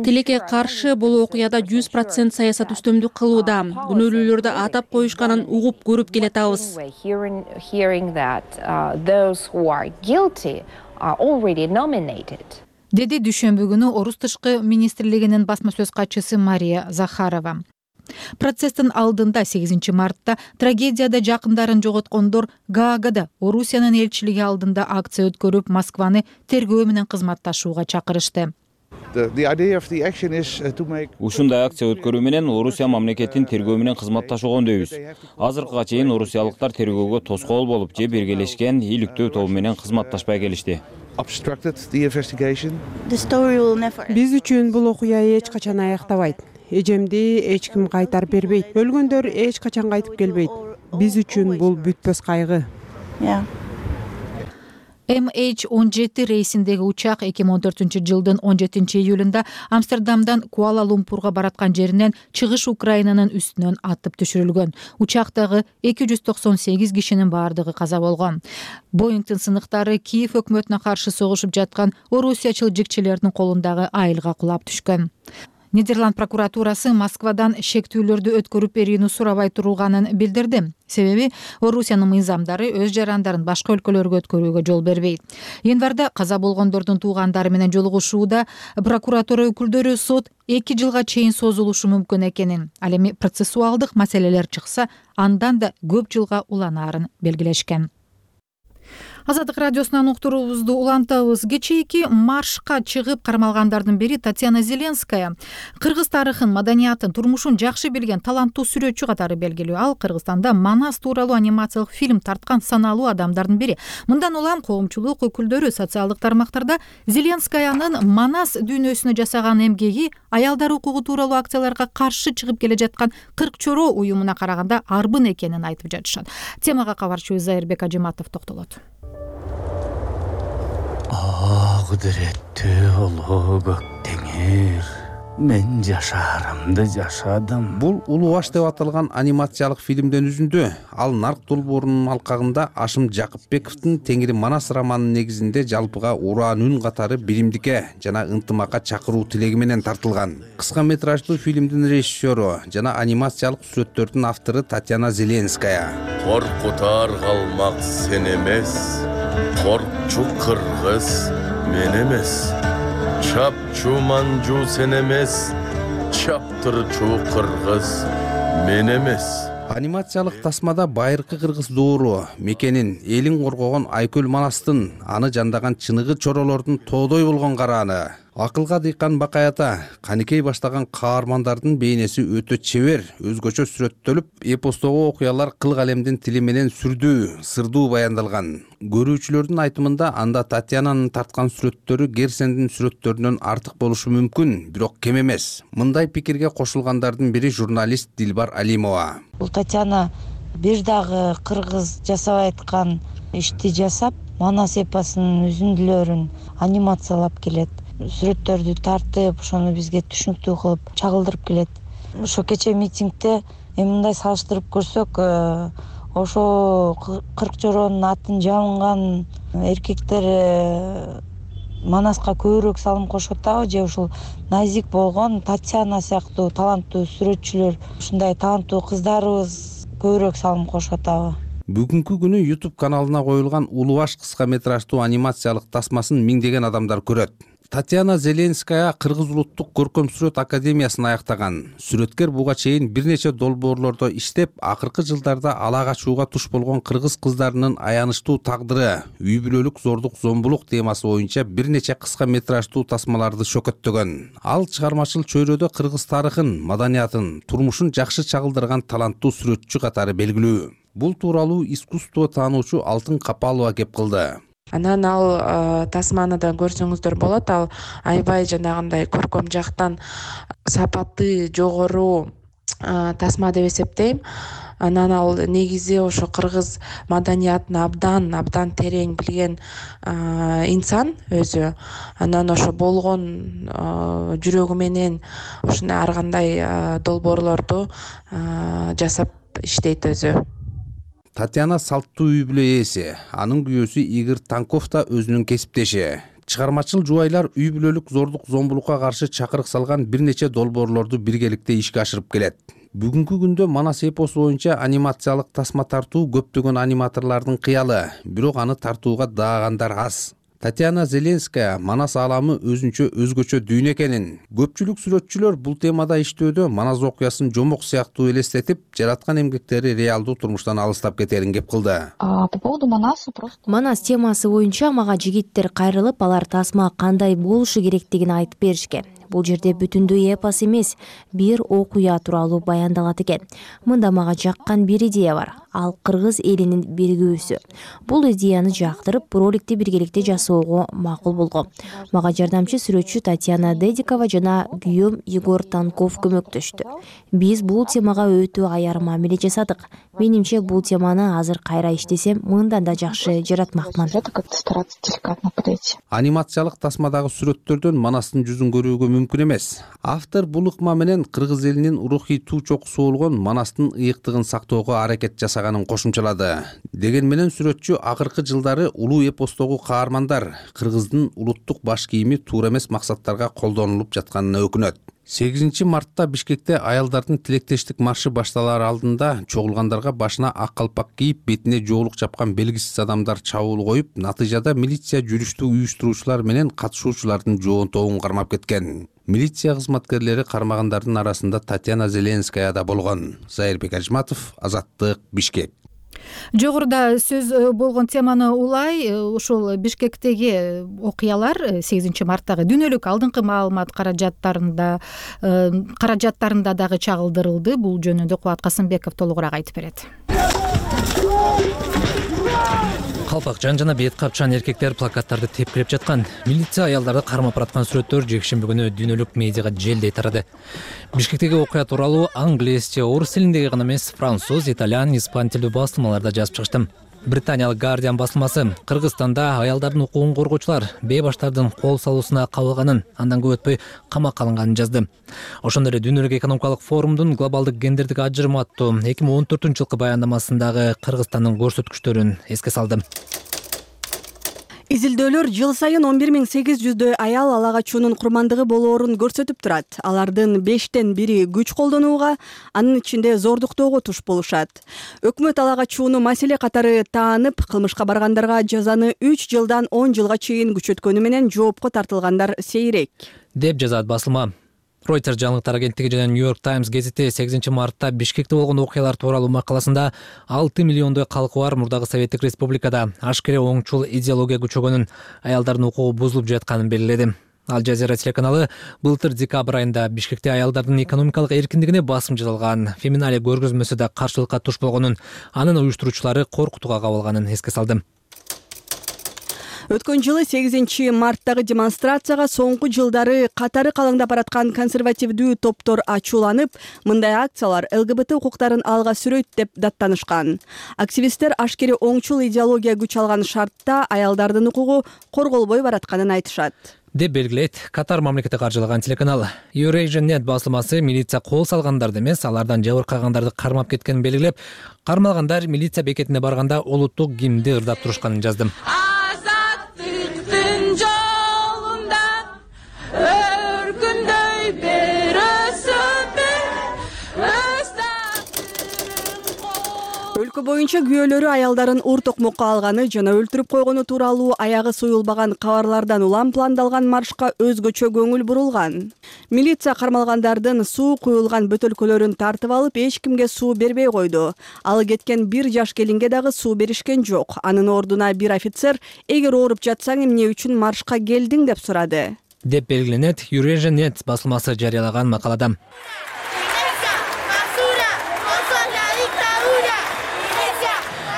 Тилекке каршы бул окуяда жүз процент саясат үстөмдүк кылууда. Күнөөлүүлөрдү атап коюшканын угуп көрүп келатабыз. Деди дүйшөмбү күнү Орус тышкы министрлигинин басма сөз катчысы Мария Захарова. Процесстин алдында сегизинчи мартта трагедияда жакындарын жоготкондор Гаагада Орусиянын элчилиги алдында акция өткөрүп, Москваны тергөө менен кызматташууга чакырышты. Ушундай акция өткөрүү менен Орусия мамлекеттин тергөө менен кызматташууга үндөйбүз. Азыркыга чейин орусиялыктар тергөөгө тоскоол болуп же биргелешкен иликтөө тобу менен кызматташпай келишти. Биз үчүн бул окуя эч качан аяктабайт. Эжемди эч ким кайтарып бербейт. Өлгөндөр эч качан кайтып келбейт. Биз үчүн бул бүтпөс кайгы. эм эйч он жети рейсиндеги учак эки миң он төртүнчү жылдын он жетинчи июлунда Амстердамдан Куала-Лумпурга бараткан жеринен чыгыш Украинанын үстүнөн атып түшүрүлгөн. Учактагы эки жүз токсон сегиз кишинин бардыгы каза болгон. Боингдин сыныктары Киев өкмөтүнө каршы согушуп жаткан орусиячыл жикчилердин колундагы айылга кулап түшкөн. Нидерланд прокуратурасы Москвадан шектүүлөрдү өткөрүп берүүнү сурабай турулганын билдирди. Себеби Орусиянын мыйзамдары өз жарандарын башка өлкөлөргө өткөрүүгө жол бербейт. Январда каза болгондордун туугандары менен жолугушууда прокуратура өкүлдөрү сот эки жылга чейин созулушу мүмкүн экенин, ал эми процессуалдык маселелер чыкса, андан да көп жылга уланаарын белгилешкен. Азаттык радиосунан уктуруубузду улантабыз. Кечээки маршка чыгып кармалгандардын бири Татьяна Зеленская. Кыргыз тарыхын, маданиятын, турмушун жакшы билген таланттуу сүрөтчү катары белгилүү. Ал Кыргызстанда Манас тууралуу анимациялык фильм тарткан саналуу адамдардын бири. Мындан улам коомчулук өкүлдөрү социалдык тармактарда Зеленскаянын Манас дүйнөсүнө жасаган эмгеги аялдар укугу тууралуу акцияларга каршы чыгып келе жаткан кырк чоро уюмуна караганда арбын экенин айтып жатышат. Темага кабарчыбыз Зайырбек Ажиматов токтолот. Кудуреттүү улуу көк теңир, мен жашаарымды жашадым. Бул Улуу аш деп аталган анимациялык фильмден үзүндү. Ал Нарк долбоорунун алкагында Ашым Жакыпбековдун Теңири Манас романынын негизинде жалпыга ураан үн катары биримдикке жана ынтымакка чакыруу тилеги менен тартылган. Кыска метраждуу фильмдин режиссеру жана анимациялык сүрөттөрдүн автору Татьяна Зеленская. Коркутар калмак сен эмес, коркчу кыргыз мен эмес, чапчу манжу сен эмес, чаптырчу кыргыз мен эмес. Анимациялык тасмада байыркы кыргыз доору мекенин, элин коргогон Айкөл Манастын, аны жандаган чыныгы чоролордун тоодой болгон карааны, акылга дыйкан Бакай ата, Каникей баштаган каармандардын бейнеси өтө чебер, өзгөчө сүрөттөлүп, эпостогу окуялар кыл алемдин тили менен сүрдүү, сырдуу баяндалган. Көрүүчүлөрдүн айтымында анда Татьянанын тарткан сүрөттөрү Герсендин сүрөттөрүнөн артык болушу мүмкүн, бирок кем эмес. Мындай пикирге кошулгандардын бири журналист Дилбар Алимова. Бул Татьяна бир дагы кыргыз жасабай аткан ишти жасап, Манас эпосунун үзүндүлөрүн анимациялап келет. Сүрөттөрдү тартып, ошону бизге түшүнүктүү кылып чагылдырып келет. Ошо кечээ митингде эми мындай салыштырып көрсөк, ошо кырк жоронун атын жабынган эркектер Манаска көбүрөөк салым кошот атабы, же ушул назик болгон Татьяна сыяктуу таланттуу сүрөтчүлөр, ушундай таланттуу кыздарыбыз көбүрөөк салым кошот атабы? Бүгүнкү күнү YouTube каналына коюлган Улуу аш кыска метраждуу анимациялык тасмасын миңдеген адамдар көрөт. Татьяна Зеленская Кыргыз улуттук көркөм сүрөт академиясын аяктаган. Сүрөткер буга чейин бир нече долбоорлордо иштеп, акыркы жылдарда ала качууга туш болгон кыргыз кыздарынын аянычтуу тагдыры, үй бүлөлүк зордук зомбулук темасы боюнча бир нече кыска метраждуу тасмаларды чөкөттөгөн. Ал чыгармачыл чөйрөдө кыргыз тарыхын, маданиятын, турмушун жакшы чагылдырган таланттуу сүрөтчү катары белгилүү. Бул тууралуу искусство таануучу Алтын Капалова кеп кылды. Анан ал тасманы да көрсөңүздөр болот. Ал аябай жанагындай көркөм жактан сапаты жогору тасма деп эсептейм. анан ал негизи ошо кыргыз маданиятын абдан абдан терең билген инсан өзү. Анан ошо болгон жүрөгү менен ушундай ар кандай долбоорлорду жасап иштейт өзү. Татьяна салттуу үй бүлө ээси, анын күйөөсү Игорь Танков да өзүнүн кесиптеши. Чыгармачыл жубайлар үй бүлөлүк зордук зомбулукка каршы чакырык салган бир нече долбоорлорду биргеликте ишке ашырып келет. Бүгүнкү күндө Манас эпосу боюнча анимациялык тасма тартуу көптөгөн аниматорлордун кыялы, бирок аны тартууга даагандар аз. Татьяна Зеленская Манас ааламы өзүнчө өзгөчө дүйнө экенин, көпчүлүк сүрөтчүлөр бул темада иштөөдө Манас окуясын жомок сыяктуу элестетип, жараткан эмгектери реалдуу турмуштан алыстап кетерин кеп кылды. По поводу Манаса просто Манас темасы боюнча мага жигиттер кайрылып, алар тасма кандай болушу керектигин айтып беришкен. Бул жерде бүтүндөй эпос эмес, бир окуя тууралуу баяндалат экен. Мында мага жаккан бир идея бар. Ал кыргыз элинин биригүүсү. Бул идеяны жактырып, роликти биргеликте жасоого макул болгом. Мага жардамчы сүрөтчү Татьяна Дедикова жана күйөөм Егор Танков көмөктөштү. Биз бул темага өтө аяр мамиле жасадык. Менимче бул теманы азыр кайра иштесем, мындан да жакшы жаратмакмын. Анимациялык тасмадагы сүрөттөрдөн Манастын жүзүн көрүүгө мүмкүн эмес. Автор бул ыкма менен кыргыз элинин рухий туу чокусу болгон Манастын ыйыктыгын сактоого аракет жасаганын кошумчалады. Деген менен сүрөтчү акыркы жылдары улуу эпостогу каармандар кыргыздын улуттук баш кийими туура эмес максаттарга колдонулуп жатканына өкүнөт. сегизинчи мартта Бишкекте аялдардын тилектештик маршы башталар алдында чогулгандарга башына ак калпак кийип, бетине жоолук чапкан белгисиз адамдар чабуул коюп, натыйжада милиция жүрүштү уюштуруучулар менен катышуучулардын жоонтогун кармап кеткен. Милиция кызматкерлери кармагандардын арасында Татьяна Зеленская да болгон. Зайырбек Ажматов, Азаттык, Бишкек. Жогоруда сөз болгон теманы улай, ушул Бишкектеги окуялар сегизинчи марттагы дүйнөлүк алдыңкы маалымат каражаттарында каражаттарында дагы чагылдырылды. Бул жөнүндө Кубат Касымбеков толугураак айтып берет. Калпакчан жана бет капчан эркектер плакаттарды тепкилеп жаткан. Милиция аялдарды кармап бараткан сүрөттөр жекшемби күнү дүйнөлүк медиага желдей тарады. Бишкектеги окуя тууралуу англисче, орус тилиндеги гана эмес, француз, итальян, испан тилдүү басылмаларда жазып чыгыштым. Британиялык Guardian басылмасы Кыргызстанда аялдардын укугун коргоочулар бейбаштардын кол салуусуна кабылганын, андан көп өтпөй камакка алынганын жазды. Ошондой эле Дүйнөлүк экономикалык форумдун глобалдык гендердик ажырым аттуу эки миң он төртүнчү жылкы баяндамасындагы Кыргызстандын көрсөткүчтөрүн эске салды. Изилдөөлөр жыл сайын он бир миң сегиз жүздөй аял ала качуунун курмандыгы болоорун көрсөтүп турат. Алардын бештен бири күч колдонууга, анын ичинде зордуктоого туш болушат. Өкмөт ала качууну маселе катары таанып, кылмышка баргандарга жазаны үч жылдан он жылга чейин күчөткөнү менен жоопко тартылгандар сейрек, деп жазат басылма. Reuters жаңылыктар агенттиги жана New York Times гезити сегизинчи мартта Бишкекте болгон окуялар тууралуу макаласында алты миллиондой калкы бар мурдагы Советтик Республикада ашкере оңчул идеология күчөгөнүн, аялдардын укугу бузулуп жатканын белгиледи. Ал Жазира телеканалы былтыр декабрь айында Бишкекте аялдардын экономикалык эркиндигине басым жасалган феминалия көргөзмөсү да каршылыкка туш болгонун, анын уюштуруучулары коркутууга кабылганын эске салды. Өткөн жылы сегизинчи марттагы демонстрацияга соңку жылдары катары калыңдап бараткан консервативдүү топтор ачууланып, мындай акциялар эл гэ бэ тэ укуктарын алга сүрөйт деп даттанышкан. Активисттер ашкере оңчул идеология күч алган шартта аялдардын укугу корголбой баратканын айтышат, деп белгилейт Катар мамлекети каржылаган телеканал. Eurasian Net басылмасы милиция кол салгандарды эмес, алардан жабыркагандарды кармап кеткенин белгилеп, кармалгандар милиция бекетине барганда улуттук гимнди ырдап турушканын жазды. Өлкө боюнча күйөөлөрү аялдарын ур токмокко алганы жана өлтүрүп койгону тууралуу аягы союлбаган кабарлардан улам пландалган маршка өзгөчө көңүл бурулган. Милиция кармалгандардын суу куюлган бөтөлкөлөрүн тартып алып, эч кимге суу бербей койду. Ал кеткен бир жаш келинге дагы суу беришкен жок. Анын ордуна бир офицер эгер ооруп жатсаң эмне үчүн маршка келдиң деп сурады, деп белгиленет Eurasian Net басылмасы жарыялаган макалада.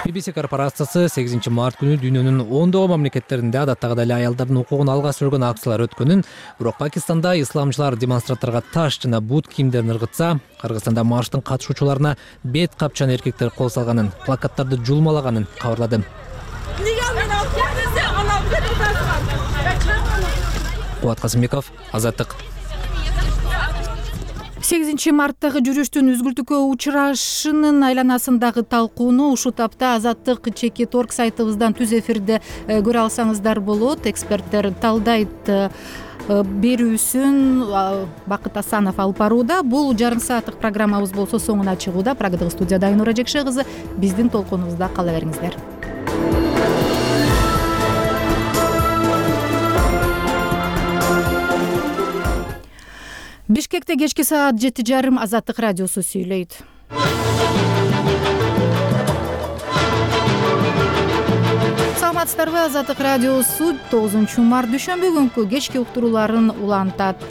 би би си корпорациясы сегизинчи март күнү дүйнөнүн ондогон мамлекеттеринде адаттагыдай эле аялдардын укугун алга сүргөн акциялар өткөнүн, бирок Пакистанда исламчылар демонстранттарга таш жана бут кийимдерин ыргытса, Кыргызстанда марштын катышуучуларына бет капчан эркектер кол салганын, плакаттарды жулмалаганын кабарлады. Кубат Касымбеков, Азаттык. сегизинчи марттагы жүрүштүн үзгүлтүүгө учурашынын айланасындагы талкууну ушул тапта Азаттык чекит орг сайтыбыздан түз эфирде көрө алсаңыздар болот. Эксперттер талдайт берүүсүн Бакыт Асанов алып барууда. Бул жарым сааттык программабыз болсо соңуна чыгууда. Программадагы студияда Айнура Жекше кызы. Биздин толкунубузда кала бериңиздер. Бишкекте кечки саат жети жарым Азаттык радиосу сүйлөйт. Саламатсыздарбы? Азаттык радиосу тогузунчу март дүйшөмбү күнкү кечки уктурууларын улантат.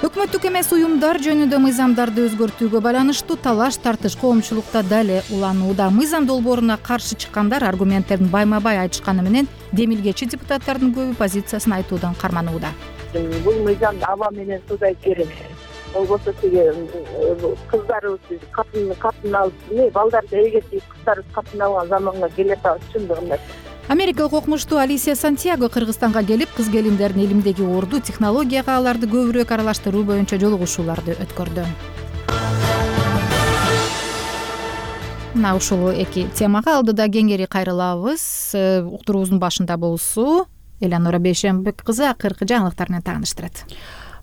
Өкмөттүк эмес уюмдар жөнүндө мыйзамдарды өзгөртүүгө байланыштуу талаш тартыш коомчулукта дале уланууда. Мыйзам долбооруна каршы чыккандар аргументтерин байма-бай айтышканы менен демилгечи депутаттардын көбү позициясын айтуудан карманууда. Бул мыйзам аба менен суудай керек. Болбосо тиги кыздарыбыз катын катын алып, балдарды элге тийип кыздарыбыз катын алган заманга келе атабыз чындыгында. Америкалык окумуштуу Алисия Сантьяго Кыргызстанга келип, кыз келиндердин илимдеги орду, технологияга аларды көбүрөөк аралаштыруу боюнча жолугушууларды өткөрдү. Мына ушул эки темага алдыда кеңири кайрылабыз. Уктуруубуздун башында болсу Элянура Бейшембек кызы акыркы жаңылыктар менен тааныштырат.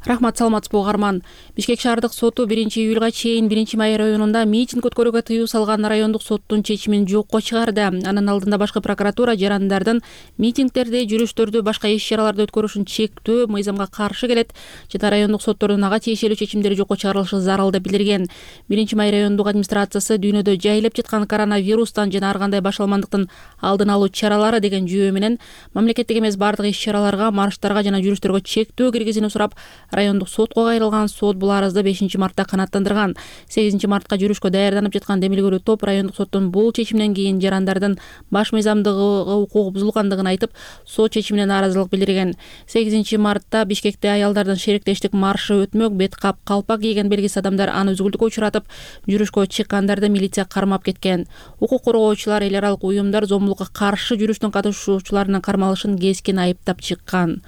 Рахмат, саламатсызбы угарман. Бишкек шаардык соту биринчи июлга чейин биринчи май районунда митинг өткөрүүгө тыюу салган райондук соттун чечимин жокко чыгарды. Анын алдында башкы прокуратура жарандардын митингдерди, жүрүштөрдү, башка иш-чараларды өткөрүшүн чектөө мыйзамга каршы келет жана райондук соттордун ага тиешелүү чечимдери жокко чыгарылышы зарыл деп билдирген. биринчи май райондук администрациясы дүйнөдө жайылып жаткан коронавирустан жана ар кандай башалмандыктын алдын алуу чаралары деген жүйө менен мамлекеттик эмес бардык иш-чараларга, марштарга жана жүрүштөргө чектөө киргизүүнү сурап райондук сотко кайрылган. Сот бул арызды бешинчи мартта канааттандырган. сегизинчи мартка жүрүшкө даярданып жаткан демилгелүү топ райондук соттун бул чечиминен кийин жарандардын баш мыйзамдыгы укугу бузулгандыгын айтып, сот чечимине нааразылык билдирген. сегизинчи мартта Бишкекте аялдардын шериктештик маршы өтмөк, бет кап, калпак кийген белгисиз адамдар аны үзгүлтүккө учуратып, жүрүшкө чыккандарды милиция кармап кеткен. Укук коргоочулар, эл аралык уюмдар зомбулукка каршы жүрүштүн катышуучуларынын кармалышын кескин айыптап чыккан.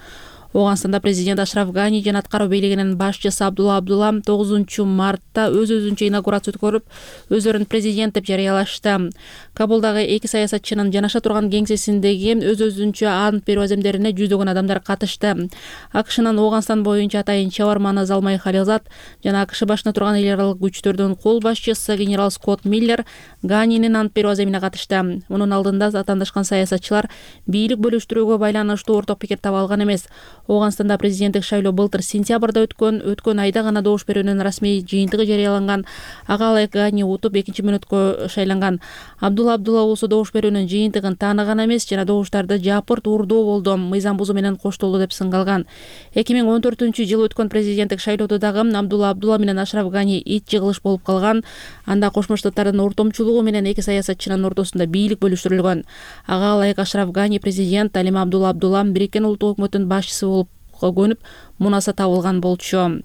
Оганстанда президент Ашраф Гани жана аткаруу бийлигинин башчысы Абдулла Абдулла тогузунчу мартта өз-өзүнчө инаугурация өткөрүп, өздөрүн президент деп жарыялашты. Кабулдагы эки саясатчынын жанаша турган кеңсесиндеги өз-өзүнчө ант берүү аземдерине жүздөгөн адамдар катышты. АКШнын Оганстан боюнча атайын чабарманы Залмай Халилзад жана АКШ башына турган эл аралык күчтөрдүн кол башчысы генерал Скотт Миллер Ганинин ант берүү аземине катышты. Мунун алдында атаандашкан саясатчылар бийлик бөлүштүрүүгө байланыштуу орток пикир таба алган эмес. Оганстанда президенттик шайлоо былтыр сентябрда өткөн, өткөн айда гана добуш берүүнүн расмий жыйынтыгы жарыяланган. Ага ылайык Гани утуп экинчи мүнөткө шайланган. Абдулла Абдулла болсо добуш берүүнүн жыйынтыгын тааныган эмес жана добуштарды жапырт урдоо болду, мыйзам бузуу менен коштолду деп сынгалган. эки миң он төртүнчү жылы өткөн президенттик шайлоодо дагы Абдулла Абдулла менен Ашраф Гани ит жыгылыш болуп калган. Анда Кошмо Штаттардын ортомчулугу менен эки саясатчынын ортосунда бийлик бөлүштүрүлгөн. Ага ылайык Ашраф Гани президент, ал эми Абдулла Абдулла Бириккен Улуттук өкмөттүн башчысы болуп көнүп, мунаса табылган болчу.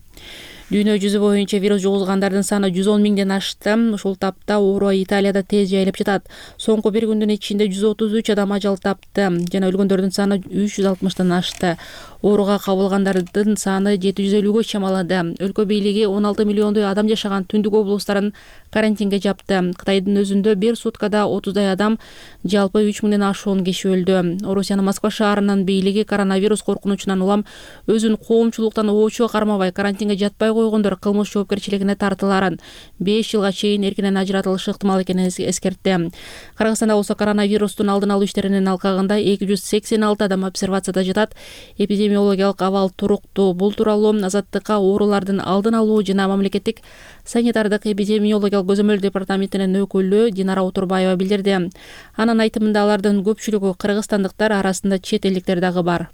Дүйнө жүзү боюнча вирус жугузгандардын саны жүз он миңден ашты. Ушул тапта оору Италияда тез жайылып жатат. Соңку бир күндүн ичинде жүз отуз үч адам ажал тапты жана өлгөндөрдүн саны үч жүз алтымыштан ашты. Ооруга кабылгандардын саны жети жүз элүүгө чамалады. Өлкө бийлиги он алты миллиондой адам жашаган түндүк облустарын карантинге жапты. Кытайдын өзүндө бир суткада отуздай адам, жалпы үч миңден ашуун киши өлдү. Орусиянын Москва шаарынын бийлиги коронавирус коркунучунан улам өзүн коомчулуктан оочуга кармабай карантинге жатпай койгондор кылмыш жоопкерчилигине тартыларын беш жылга чейин эркинен ажыратылышы ыктымал экенин эскертти. Кыргызстанда болсо коронавирустун алдын алуу иштеринин алкагында эки жүз сексен алты адам обсервацияда жатат. Эпидемиологиялык абал туруктуу. Бул тууралуу Азаттыкка оорулардын алдын алуу жана мамлекеттик санитардык эпидемиологиялык көзөмөл департаментинин өкүлү Динара Утурбаева билдирди. Анын айтымында алардын көпчүлүгү кыргызстандыктар, арасында чет элдиктер дагы бар.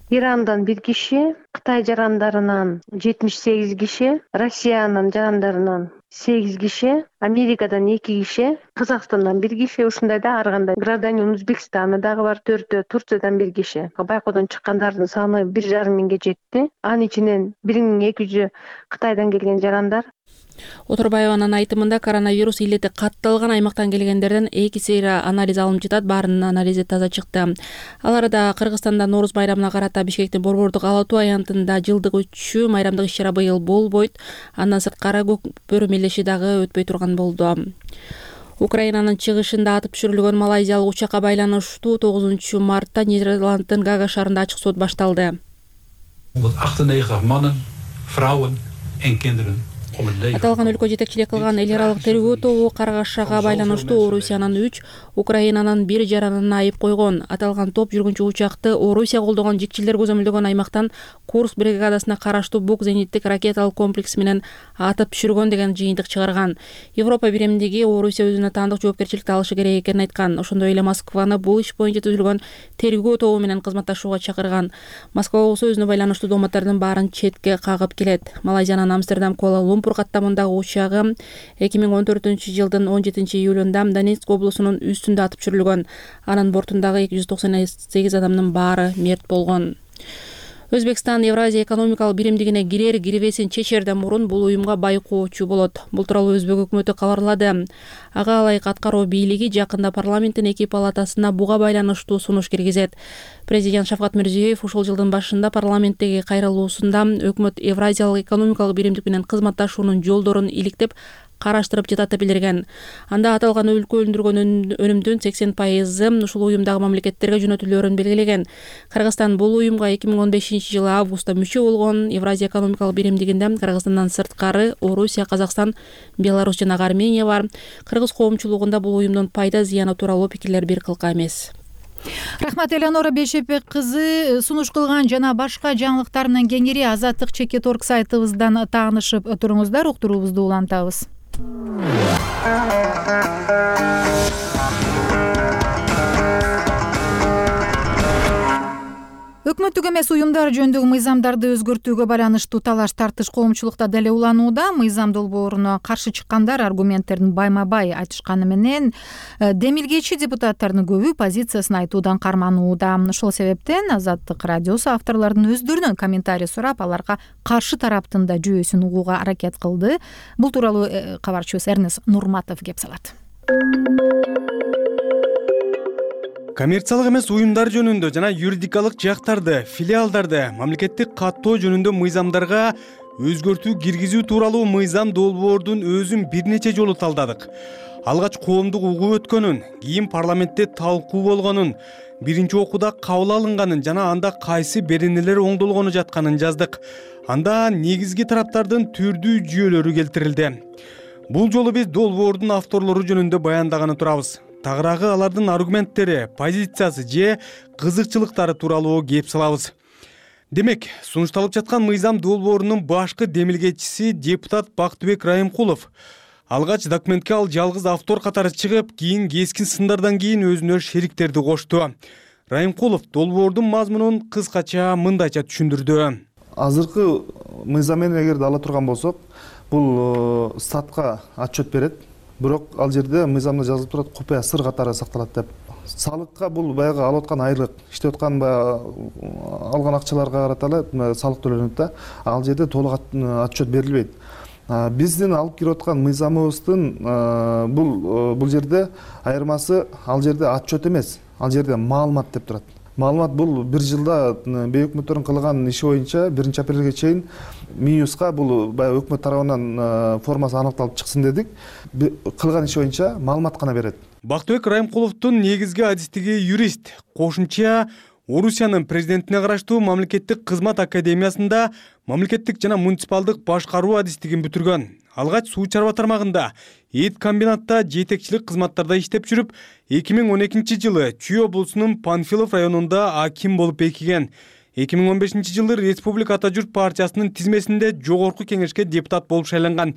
Ирандан бир киши, Кытай жарандарынан жетимиш сегиз киши, Россиянын жарандарынан сегиз киши, Америкадан эки киши, Казакстандан бир киши, ушундай да ар кандай гражданин Өзбекстаны дагы бар, төртөө, Турциядан бир киши. Байкоодон чыккандардын саны бир жарым миңге жетти. Анын ичинен бир миң эки жүзү Кытайдан келген жарандар. Оторбаеванын айтымында коронавирус илети катталган аймактан келгендерден эки сейра анализ алынып жатат, баарынын анализи таза чыкты. Ал арада Кыргызстанда Нооруз байрамына карата Бишкектин Борбордук Ала Туу аянтында жылдык өтчү майрамдык иш-чара быйыл болбойт. Андан сырткары көк бөрү мелеши дагы өтпөй турган болду. Украинанын чыгышында атып түшүрүлгөн малайзиялык учакка байланыштуу тогузунчу мартта Нидерланддын Гага шаарында ачык сот башталды. achtennegentig mannen, vrouwen en kinderen. Аталган өлкө жетекчилик кылган эл аралык тергөө тобу каргашага байланыштуу Орусиянын үч, Украинанын бир жаранына айып койгон. Аталган топ жүргүнчү учакты Орусия колдогон жикчилдер көзөмөлдөгөн аймактан Курск бригадасына караштуу Бук зениттик ракеталык комплекс менен атып түшүргөн деген жыйынтык чыгарган. Европа биримдиги Орусия өзүнө таандык жоопкерчиликти алышы керек экенин айткан. Ошондой эле Москваны бул иш боюнча түзүлгөн тергөө тобу менен кызматташууга чакырган. Москва болсо өзүнө байланыштуу дооматтардын баарын четке кагып келет. Малайзиянын Амстердам Куала Лумпур каттамындагы учагы эки миң он төртүнчү жылдын он жетинчи июлунда Донецк облусунун үстүндө атып түшүрүлгөн. Анын бортундагы эки жүз токсон сегиз адамдын баары мерт болгон. Өзбекстан Евразия экономикалык биримдигине кирер кирбесин чечерден мурун бул уюмга байкоочу болот. Бул тууралуу Өзбек өкмөтү кабарлады. Ага ылайык аткаруу бийлиги жакында парламенттин эки палатасына буга байланыштуу сунуш киргизет. Президент Шавкат Мирзиёев ушул жылдын башында парламенттеги кайрылуусунда өкмөт Евразиялык экономикалык биримдик менен кызматташуунун жолдорун иликтеп караштырып жатат билдирген. Анда аталган өлкө өндүргөн өнүмдүн сексен пайызы ушул уюмдагы мамлекеттерге жөнөтүлөөрүн белгилеген. Кыргызстан бул уюмга эки миң он бешинчи жылы августта мүчө болгон. Евразия экономикалык биримдигинде Кыргызстандан сырткары Орусия, Казакстан, Беларусь жана Армения бар. Кыргыз коомчулугунда бул уюмдун пайда зыяны тууралуу пикирлер бир кылка эмес. Рахмат, Элеонора Бейшепек кызы. Сунуш кылган жана башка жаңылыктар менен кеңири Азаттык чекит орг сайтыбыздан таанышып туруңуздар. Уктуруубузду улантабыз. Өкмөттүк эмес уюмдар жөнүндөгү мыйзамдарды өзгөртүүгө байланыштуу талаш тартыш коомчулукта деле уланууда. Мыйзам долбооруна каршы чыккандар аргументтерин байма-бай айтышканы менен демилгечи депутаттардын көбү позициясын айтуудан карманууда. Ошол себептен Азаттык радиосу авторлордун өздөрүнөн комментарий сурап, аларга каршы тараптын да жүйөсүн угууга аракет кылды. Бул тууралуу кабарчыбыз Эрнест Нурматов кеп салат. Коммерциялык эмес уюмдар жөнүндө жана юридикалык жактарды, филиалдарды мамлекеттик каттоо жөнүндө мыйзамдарга өзгөртүү киргизүү тууралуу мыйзам долбоордун өзүн бир нече жолу талдадык. Алгач коомдук угуу өткөнүн, кийин парламентте талкуу болгонун, биринчи окууда кабыл алынганын жана анда кайсы беренелер оңдолгону жатканын жаздык. Анда негизги тараптардын түрдүү жүйөлөрү келтирилди. Бул жолу биз долбоордун авторлору жөнүндө баяндаганы турабыз. Тагыраагы алардын аргументтери, позициясы же кызыкчылыктары тууралуу кеп салабыз. Демек, сунушталып жаткан мыйзам долбоорунун башкы демилгечиси депутат Бактыбек Райымкулов. Алгач документке ал жалгыз автор катары чыгып, кийин кескин сындардан кийин өзүнө шериктерди кошту. Райымкулов долбоордун мазмунун кыскача мындайча түшүндүрдү. Азыркы мыйзам менен эгерде ала турган болсок, бул статка отчет берет. Бирок ал жерде мыйзамда жазылып турат, купуя сыр катары сакталат деп. Салыкка бул баягы алып аткан айлык, иштеп аткан алган акчаларга карата эле салык төлөнөт да. Ал жерде толук отчет берилбейт. Биздин алып кирип аткан мыйзамыбыздын бул бул жерде айырмасы, ал жерде отчет эмес, ал жерде маалымат деп турат. Маалымат бул бир жылда бей өкмөттөрдүн кылган иши боюнча биринчи апрелге чейин МИЮСка бул баягы өкмөт тарабынан формасы аныкталып чыксын дедик. Кылган иши боюнча маалымат гана берет. Бактыбек Райымкуловдун негизги адистиги юрист. Кошумча Орусиянын президентине караштуу мамлекеттик кызмат академиясында мамлекеттик жана муниципалдык башкаруу адистигин бүтүргөн. Алгач суу чарба тармагында эт комбинатта жетекчилик кызматтарда иштеп жүрүп, эки миң он экинчи жылы Чүй облусунун Панфилов районунда аким болуп бекиген. эки миң он бешинчи жылы Республика Ата журт партиясынын тизмесинде жогорку кеңешке депутат болуп шайланган.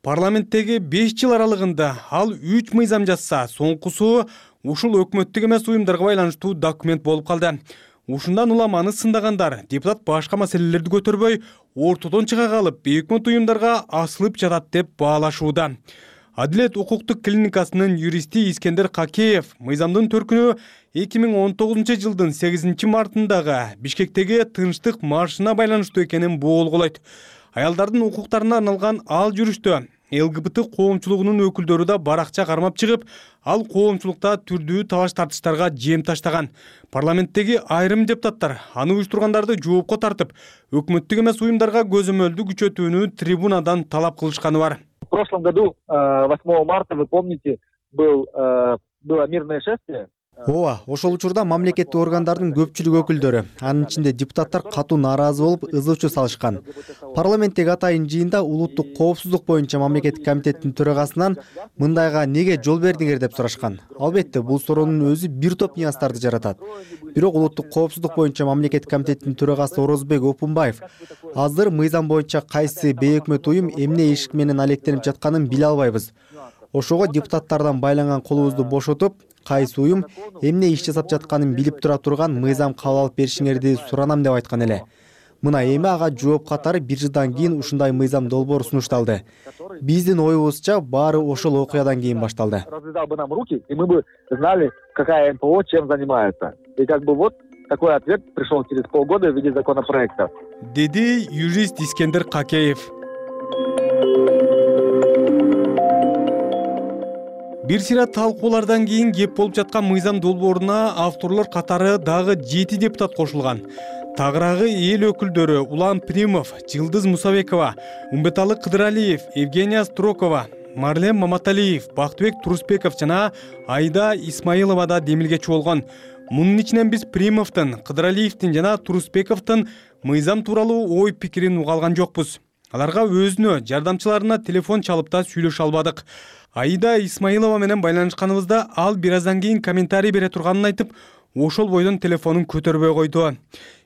Парламенттеги беш жыл аралыгында ал үч мыйзам жазса, соңкусу ушул өкмөттүк эмес уюмдарга байланыштуу документ болуп калды. Ушундан улам аны сындагандар депутат башка маселелерди көтөрбөй, ортодон чыга калып, өкмөт уюмдарга асылып жатат деп баалашууда. Адилет укуктук клиникасынын юристи Искендер Какеев мыйзамдын төркүнү эки миң он тогузунчу жылдын сегизинчи мартындагы Бишкектеги тынчтык маршына байланыштуу экенин боолголойт. Аялдардын укуктарына арналган ал жүрүштө эл гэ бэ тэ коомчулугунун өкүлдөрү да баракча кармап чыгып, ал коомчулукта түрдүү талаш тартыштарга жем таштаган. Парламенттеги айрым депутаттар аны уюштургандарды жоопко тартып, өкмөттүк эмес уюмдарга көзөмөлдү күчөтүүнү трибунадан талап кылышканы бар. В прошлом году, восьмого марта, вы помните, был, было мирное шествие. Ооба, ошол учурда мамлекеттик органдардын көпчүлүк өкүлдөрү, анын ичинде депутаттар катуу нааразы болуп, ызы-чуу салышкан. Парламенттеги атайын жыйында улуттук коопсуздук боюнча мамлекеттик комитеттин төрагасынан мындайга неге жол бердиңер деп сурашкан. Албетте, бул суроонун өзү бир топ нюанстарды жаратат. Бирок улуттук коопсуздук боюнча мамлекеттик комитеттин төрагасы Орозбек Опунбаев азыр мыйзам боюнча кайсы бейөкмөт уюм эмне ишик менен алектенип жатканын биле албайбыз. Ошого депутаттардан байланган колубузду бошотуп, кайсы уюм эмне иш жасап жатканын билип тура турган мыйзам кабыл алып беришиңерди суранам деп айткан эле. Мына эми ага жооп катары бир жылдан кийин ушундай мыйзам долбоор сунушталды. Биздин оюбузча баары ошол окуядан кийин башталды. Развязал бы нам руки, и мы бы знали, какая эн пэ о чем занимается. И как бы вот такой ответ пришел через полгода в виде законопроекта. Деди юрист Искендер Какеев. Бир сыйра талкуулардан кийин кеп болуп жаткан мыйзам долбооруна авторлор катары дагы жети депутат кошулган. Тагыраагы эл өкүлдөрү Улан Примов, Жылдыз Мусабекова, Умбеталы Кыдыралиев, Евгения Строкова, Марлен Маматалиев, Бактыбек Турусбеков жана Айда Исмаилова да демилгечи болгон. Мунун ичинен биз Примовдун, Кыдыралиевдин жана Турусбековдун мыйзам тууралуу ой пикирин уга алган жокпуз. Аларга өзүнө, жардамчыларына телефон чалып да сүйлөшө албадык. Айда Исмаилова менен байланышканыбызда ал бир аздан кийин комментарий бере турганын айтып, ошол бойдон телефонун көтөрбөй койду.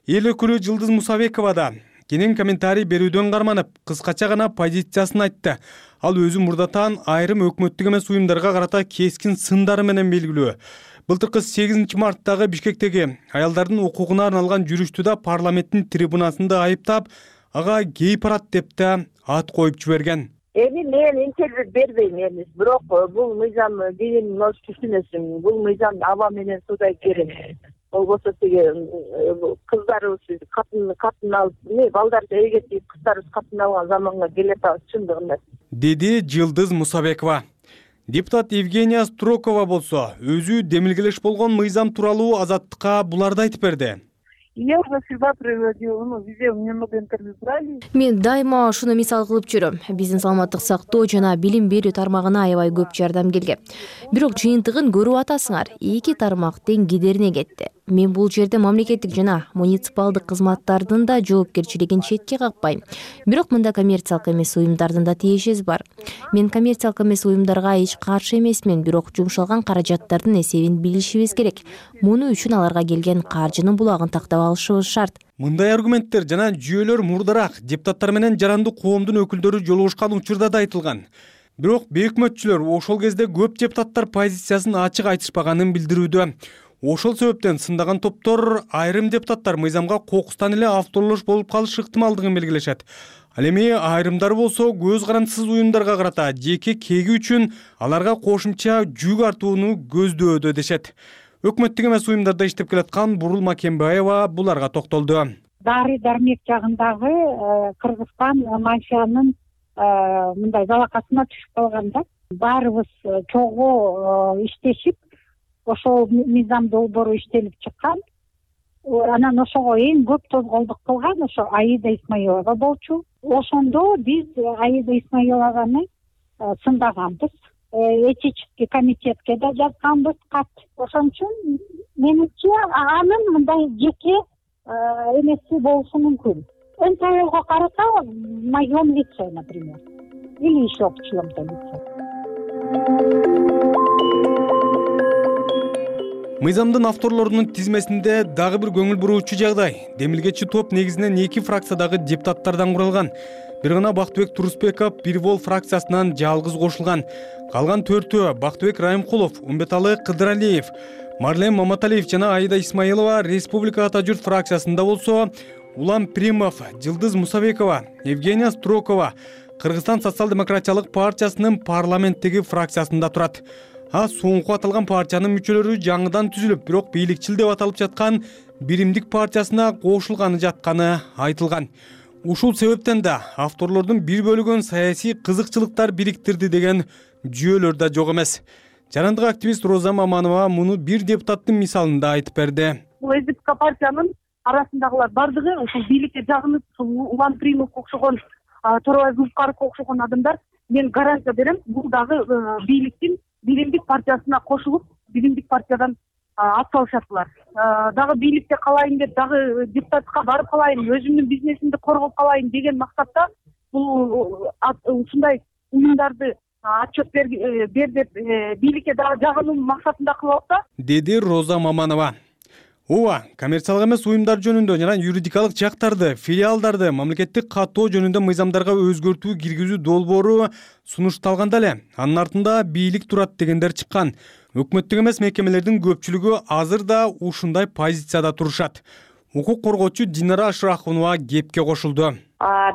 Эл өкүлү Жылдыз Мусабекова да кенен комментарий берүүдөн карманып, кыскача гана позициясын айтты. Ал өзү мурдатан айрым өкмөттүк эмес уюмдарга карата кескин сындары менен белгилүү. Былтыркы сегизинчи марттагы Бишкектеги аялдардын укугуна арналган жүрүштү да парламенттин трибунасында айыптап, ага гей парад деп да ат коюп жиберген. Эми мен интервью бербейм эми, бирок бул мыйзам дегенин өз түшүнөсүң. Бул мыйзам аба менен суудай керек. Болбосо тиги кыздарыбыз катын катын алып, не балдарды эгетип кыздарыбыз катын алган заманга келатабыз чындыгында. Деди Жылдыз Мусабекова. Депутат Евгения Строкова болсо, өзү демилгелеш болгон мыйзам тууралуу Азаттыкка буларды айтып берди. Я уже всегда приводила, ну, везде немного интервью брали. Мен дайыма ушуну мисал кылып жүрөм. Биздин саламаттык сактоо жана билим берүү тармагына аябай көп жардам келген. Бирок жыйынтыгын көрүп атасыңар, эки тармак тең кедерине кетти. Мен бул жерде мамлекеттик жана муниципалдык кызматтардын да жоопкерчилигин четке какпайм. Бирок мында коммерциялык эмес уюмдардын да тиешеси бар. Мен коммерциялык эмес уюмдарга эч каршы эмесмин, бирок жумшалган каражаттардын эсебин билишибиз керек. Муну үчүн аларга келген каржынын булагын тактап алышыбыз шарт. Мындай аргументтер жана жүйөлөр мурдараак депутаттар менен жарандык коомдун өкүлдөрү жолугушкан учурда да айтылган. Бирок бейөкмөтчүлөр ошол кезде көп депутаттар позициясын ачык айтышпаганын билдирүүдө. Ошол себептен сындаган топтор айрым депутаттар мыйзамга кокустан эле авторлош болуп калыш ыктымалдыгын белгилешет. Ал эми айрымдар болсо көз карандысыз уюмдарга карата жеке кеги үчүн аларга кошумча жүк артууну көздөөдө дешет. Өкмөттүк эмес уюмдарда иштеп келаткан Бурул Макембаева буларга токтолду. Дары дармек жагындагы Кыргызстан мафиянын мындай залакасына түшүп калганда баарыбыз чогуу иштешип ошол мыйзам долбоору иштелип чыккан. Анан ошого эң көп тозголдук кылган ошо Аида Исмаилова болчу. Ошондо биз Аида Исмаилованы сындаганбыз. Этический комитетке да жазганбыз кат. Ошон үчүн менимче анын мындай жеке эмеси болушу мүмкүн. эн пэ ого караса в моем лице, например, или еще в чьем-то лице. Мыйзамдын авторлорунун тизмесинде дагы бир көңүл буруучу жагдай. Демилгечи топ негизинен эки фракциядагы депутаттардан куралган. Бир гана Бактыбек Турусбеков бир вол фракциясынан жалгыз кошулган. Калган төртөө Бактыбек Райымкулов, Умбеталы Кыдыралиев, Марлен Маматалиев жана Аида Исмаилова Республика Ата журт фракциясында болсо, Улам Примов, Жылдыз Мусабекова, Евгения Строкова Кыргызстан социал-демократиялык партиясынын парламенттеги фракциясында турат. А соңку аталган партиянын мүчөлөрү жаңыдан түзүлүп, бирок бийликчил деп аталып жаткан Биримдик партиясына кошулганы жатканы айтылган. Ушул себептен да авторлордун бир бөлүгүн саясий кызыкчылыктар бириктирди деген жүйөлөр да жок эмес. Жарандык активист Роза Маманова муну бир депутаттын мисалында айтып берди. Бул СДПК партиянын арасындагылар бардыгы ушул бийликке жагынып, Улан Примовго окшогон, Торобай Зулфкаровго окшогон адамдар, мен гарантия берем, бул дагы бийликтин Биримдик партиясына кошулуп, Биримдик партиядан ат салышаттылар. Дагы бийликте калайын деп, дагы депутатка барып калайын, өзүмдүн бизнесимди коргоп калайын деген максатта бул ушундай уюмдарды отчет бер деп бийликке дагы жагынуу максатында кылып атса, деди Роза Маманова. Ооба, коммерциялык эмес уюмдар жөнүндө жана юридикалык жактарды, филиалдарды мамлекеттик каттоо жөнүндө мыйзамдарга өзгөртүү киргизүү долбоору сунушталганда эле анын артында бийлик турат дегендер чыккан. Өкмөттүк эмес мекемелердин көпчүлүгү азыр да ушундай позицияда турушат. Укук коргоочу Динара Ашрахунова кепке кошулду.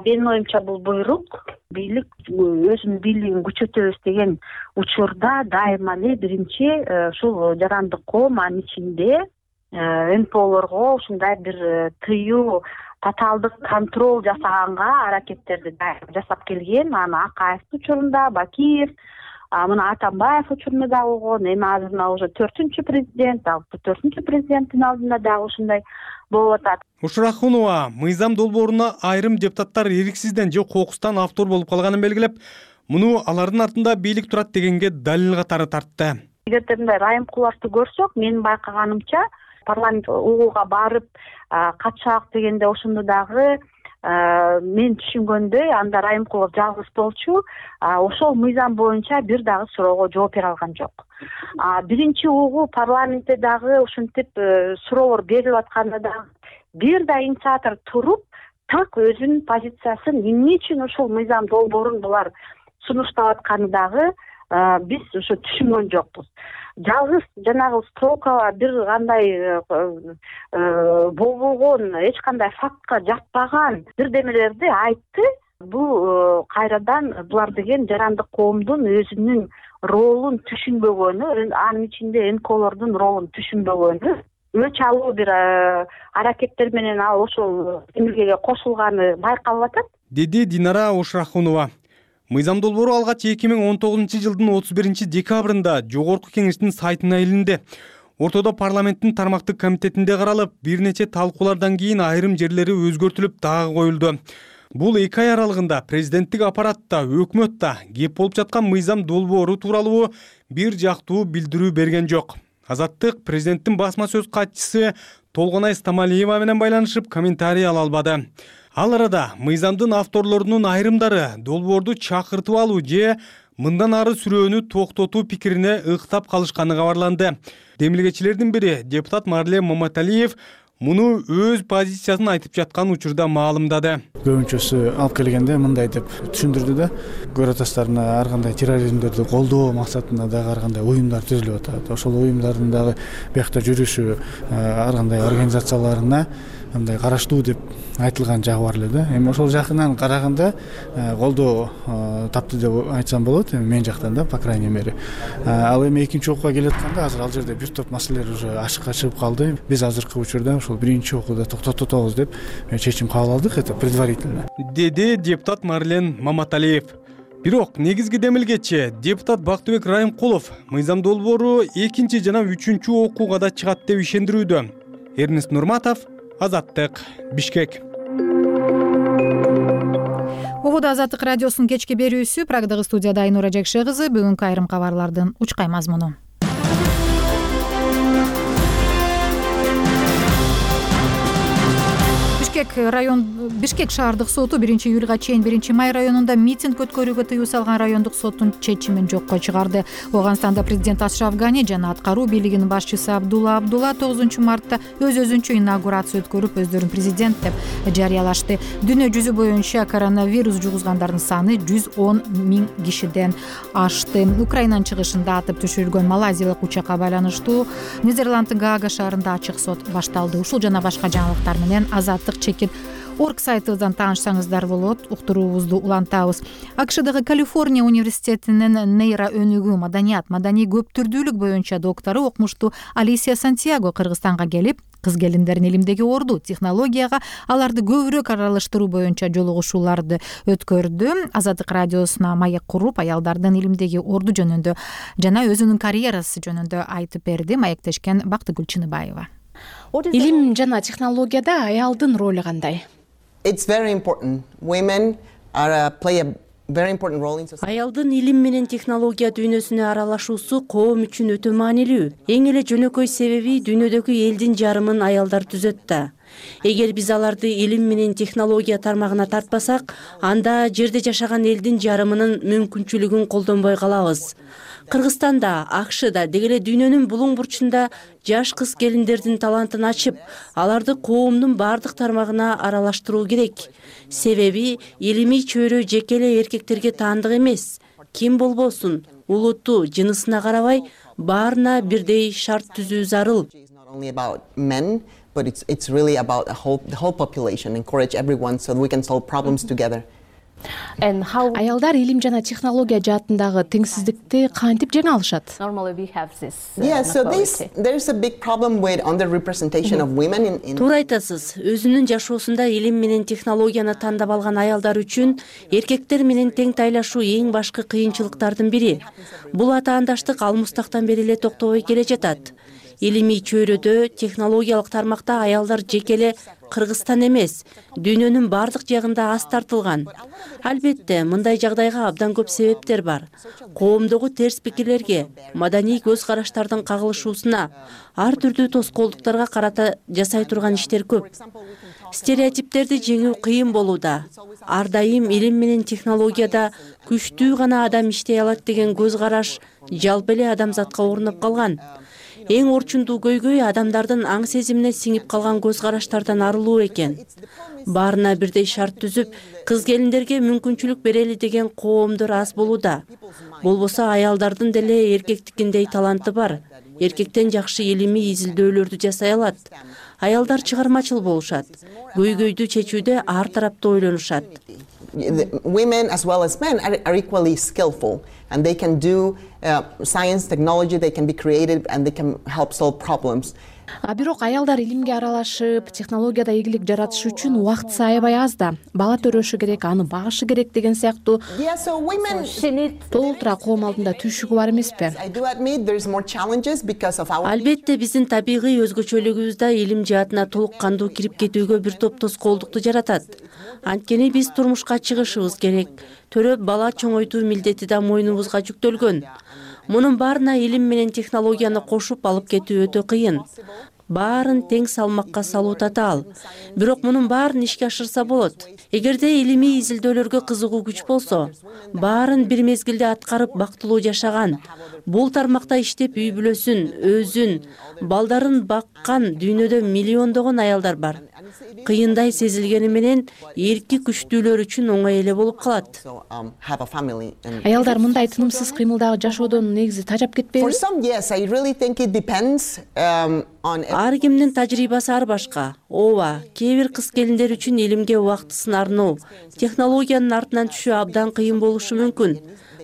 Менин оюмча бул буйрук бийлик өзүнүн бийлигин күчөтөбүз деген учурда дайыма эле биринчи ушул жарандык коом, анын ичинде эн пэ олорго ушундай бир тыюу, татаалдык контроль жасаганга аракеттерди жасап келген. Аны Акаевдин учурунда, Бакиев, мына Атамбаев учурунда да болгон, эми азыр мына уже төртүнчү президент, төртүнчү президенттин алдында дагы ушундай болуп атат. Ушрахунова мыйзам долбооруна айрым депутаттар эриксизден же кокустан автор болуп калганын белгилеп, муну алардын артында бийлик турат дегенге далил катары тартты. Эгерде мындай райымкуларды көрсөк, менин байкаганымча парламент угууга барып катышак дегенде ошондо дагы мен түшүнгөндөй анда Райымкулов жалгыз болчу, ошол мыйзам боюнча бир дагы суроого жооп бере алган жок. Биринчи угуу парламентте дагы ушинтип суроолор берилип атканда дагы бир да инициатор туруп, так өзүнүн позициясын эмне үчүн ушул мыйзам долбоорун булар сунуштап атканы дагы биз ошо түшүнгөн жокпуз. Жалгыз жанагы Строкова бир кандай болбогон, эч кандай фактка жатпаган бирдемелерди айтты. Бул кайрадан булар деген жарандык коомдун өзүнүн ролун түшүнбөгөнү, анын ичинде эн пэ олордун ролун түшүнбөгөнү, өч алуу бир аракеттер менен ал ошол эмгеге кошулганы байкалып атат, деди Динара Ушрахунова. Мыйзам долбоору алгач эки миң он тогузунчу жылдын отуз биринчи декабрында Жогорку кеңештин сайтына илинди. Ортодо парламенттин тармактык комитетинде каралып, бир нече талкуулардан кийин айрым жерлери өзгөртүлүп дагы коюлду. Бул эки ай аралыгында президенттик аппаратта, өкмөттө кеп болуп жаткан мыйзам долбоору тууралуу бир жактуу билдирүү берген жок. Азаттык президенттин басма сөз катчысы Толгонай Стамалиева менен байланышып комментарий ала албады. Ал арада мыйзамдын авторлорунун айрымдары долбоорду чакыртып алуу же мындан ары сүрөөнү токтотуу пикирине ыктап калышканы кабарланды. Демилгечилердин бири депутат Марлен Маматалиев муну өз позициясын айтып жаткан учурда маалымдады. Көбүнчөсү алып келгенде мындай деп түшүндүрдү да, көрө атасыздарына ар кандай терроризмдерди колдоо максатында дагы ар кандай уюмдар түзүлүп атат. Ошол уюмдардын дагы биякта жүрүшү ар кандай организацияларына мындай караштуу деп айтылган жагы бар эле да. Эми ошол жакынан караганда колдоо тапты деп айтсам болот, эми мен жактан да, по крайней мере. Ал эми экинчи окууга келатканда азыр ал жерде бир топ маселелер уже ашыкка чыгып калды. Биз азыркы учурда ошол биринчи окууда токтотобуз деп чечим кабыл алдык, это предварительно, деди депутат Марлен Маматалиев. Бирок негизги демилгечи депутат Бактыбек Райымкулов мыйзам долбоору экинчи жана үчүнчү окууга да чыгат деп ишендирүүдө. Эрнест Нурматов, Азаттык, Бишкек. Угууда Азаттык радиосунун кечки берүүсү, Прагдагы студияда Айнура Жекше кызы. Бүгүнкү айрым кабарлардын учкай мазмуну. бишкек район бишкек шаардык соту биринчи июлга чейин биринчи май районунда митинг өткөрүүгө тыюу салган райондук соттун чечимин жокко чыгарды. Ооганстанда президент Ашраф Гани жана аткаруу бийлигинин башчысы Абдулла Абдулла тогузунчу мартта өз өзүнчө инаугурация өткөрүп, өздөрүн президент деп жарыялашты. Дүйнө жүзү боюнча коронавирус жугузгандардын саны жүз он миң кишиден ашты. Украинанын чыгышында атып түшүрүлгөн малайзиялык учакка байланыштуу Нидерланддын Гаага шаарында ачык сот башталды. Ушул жана башка жаңылыктар менен азаттык чекит орг сайтыбыздан таанышсаңыздар болот. Уктуруубузду улантабыз. АКШдагы Калифорния университетинин нейро өнүгүү, маданият, маданий көптүрдүүлүк боюнча доктору окумуштуу Алисия Сантьяго Кыргызстанга келип, кыз келиндердин илимдеги орду, технологияга аларды көбүрөөк аралаштыруу боюнча жолугушууларды өткөрдү. Азаттык радиосуна маек куруп, аялдардын илимдеги орду жөнүндө жана өзүнүн карьерасы жөнүндө айтып берди. Маектешкен Бактыгүл Чыныбаева. Илим жана технологияда аялдын ролу кандай? Аялдын илим менен технология дүйнөсүнө аралашуусу коом үчүн өтө маанилүү. Эң эле жөнөкөй себеби дүйнөдөгү элдин жарымын аялдар түзөт да. Эгер биз аларды илим менен технология тармагына тартпасак, анда жерде жашаган элдин жарымынын мүмкүнчүлүгүн колдонбой калабыз. Кыргызстанда, АКШда, деги эле дүйнөнүн булуң бурчунда жаш кыз келиндердин талантын ачып, аларды коомдун бардык тармагына аралаштыруу керек. Себеби илимий чөйрө жеке эле эркектерге таандык эмес. Ким болбосун, улуту, жынысына карабай, баарына бирдей шарт түзүү зарыл. But it's it's really about the whole the whole population, encourage everyone so that we can solve problems together. And how аялдар илим жана технология жаатындагы теңсиздикти кантип жеңе алышат? Normally we have this. Yeah, so this there's a big problem with underrepresentation of women in in Туура айтасыз. Өзүнүн жашоосунда илим менен технологияны тандап алган аялдар үчүн эркектер менен тең тайлашуу эң башкы кыйынчылыктардын бири. Бул атаандаштык алмыстактан бери эле токтобой келе жатат. Илимий чөйрөдө, технологиялык тармакта аялдар жеке эле Кыргызстан эмес, дүйнөнүн бардык жагында аз тартылган. Албетте, мындай жагдайга абдан көп себептер бар. Коомдогу терс пикирлерге, маданий көз караштардын кагылышуусуна, ар түрдүү тоскоолдуктарга карата жасай турган иштер көп. Стереотиптерди жеңүү кыйын болууда. Ар дайым илим менен технологияда күчтүү гана адам иштей алат деген көз караш жалпы эле адамзатка орноп калган. Эң орчундуу көйгөй адамдардын аң сезимине сиңип калган көз караштардан арылуу экен. Баарына бирдей шарт түзүп, кыз келиндерге мүмкүнчүлүк берели деген коомдор аз болууда. Болбосо аялдардын деле эркектикиндей таланты бар. Эркектен жакшы илимий изилдөөлөрдү жасай алат. Аялдар чыгармачыл болушат. Көйгөйдү чечүүдө ар тараптуу ойлонушат. Women as well as men are, are equally skillful, and they can do uh, science, technology, they can be creative, and they can help solve problems. А бирок аялдар илимге аралашып, технологияда ийгилик жаратыш үчүн убакыт аябай аз да. Бала төрөшү керек, аны багышы керек деген сыяктуу толтура коом алдында түйшүгү бар эмеспи? Албетте, биздин табигый өзгөчөлүгүбүз да илим жаатына толук кандуу кирип кетүүгө бир топ тоскоолдукту жаратат. Анткени биз турмушка чыгышыбыз керек. Төрөп бала чоңойтуу милдети да мойнубузга жүктөлгөн. Мунун баарына илим менен технологияны кошуп алып кетүү өтө кыйын. Баарын тең салмакка салуу татаал. Бирок мунун баарын ишке ашырса болот. Эгерде илимий изилдөөлөргө кызыгуу күч болсо, баарын бир мезгилде аткарып бактылуу жашаган, бул тармакта иштеп үй бүлөсүн, өзүн, балдарын баккан дүйнөдө миллиондогон аялдар бар. Кыйындай сезилгени менен эрки күчтүүлөр үчүн оңой эле болуп калат. Аялдар мындай тынымсыз кыймылдагы жашоодон негизи тажап кетпейби? Ар кимдин тажрыйбасы ар башка. Ооба, кээ бир кыз келиндер үчүн илимге убактысын арноо, технологиянын артынан түшүү абдан кыйын болушу мүмкүн.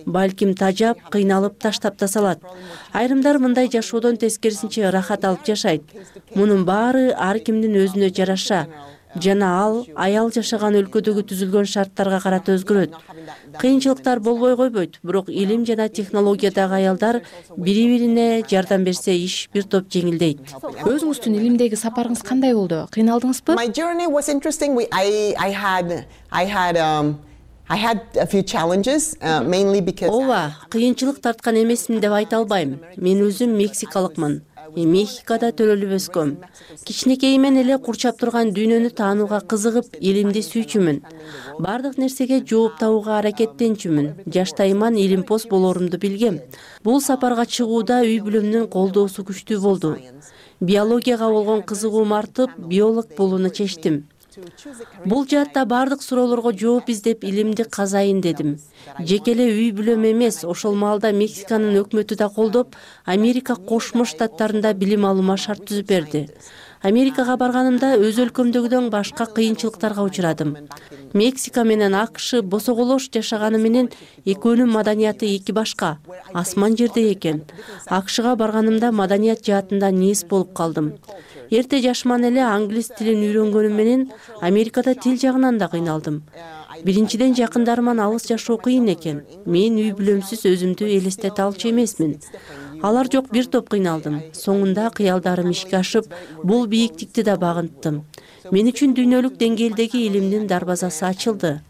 Балким тажап, кыйналып таштап да салат. Айрымдар мындай жашоодон тескерисинче ырахат алып жашайт. Мунун баары ар кимдин өзүнө жараша. Жана ал аял жашаган өлкөдөгү түзүлгөн шарттарга карата өзгөрөт. Кыйынчылыктар болбой койбойт, бирок илим жана технологиядагы аялдар бири-бирине жардам берсе иш бир топ жеңилдейт. Өзүңүздүн илимдеги сапарыңыз кандай болду? Кыйналдыңызбы? My journey was interesting. We, I, I had, I had, um, I had a few challenges, uh, mainly because. Ооба, кыйынчылык тарткан эмесмин деп айта албайм. Мен өзүм мексикалыкмын. Мехикода төрөлүп өскөм. Кичинекейимен эле курчап турган дүйнөнү таанууга кызыгып, илимди сүйчүмүн. Бардык нерсеге жооп табууга аракеттенчүмүн. Жаштайыман илимпоз болорумду билгем. Бул сапарга чыгууда үй бүлөмдүн колдоосу күчтүү болду. Биологияга болгон кызыгуум артып, биолог болууну чечтим. Бул жаатта бардык суроолорго жооп издеп илимди казайын дедим. Жеке эле үй бүлөм эмес, ошол маалда Мексиканын өкмөтү да колдоп, Америка Кошмо Штаттарында билим алуума шарт түзүп берди. Америкага барганымда өз өлкөмдөгүдөн башка кыйынчылыктарга учурадым. Мексика менен АКШ босоголош жашаганы менен экөөнүн маданияты эки башка, асман жерде экен. АКШга барганымда маданият жаатында нээс болуп калдым. Эрте жашыман эле англис тилин үйрөнгөнүм менен Америкада тил жагынан да кыйналдым. Биринчиден жакындарыман алыс жашоо кыйын экен. Мен үй бүлөмсүз өзүмдү элестете алчу эмесмин. Алар жок бир топ кыйналдым. Соңунда кыялдарым ишке ашып, бул бийиктикти да багынттым. Мен үчүн дүйнөлүк деңгээлдеги илимдин дарбазасы ачылды.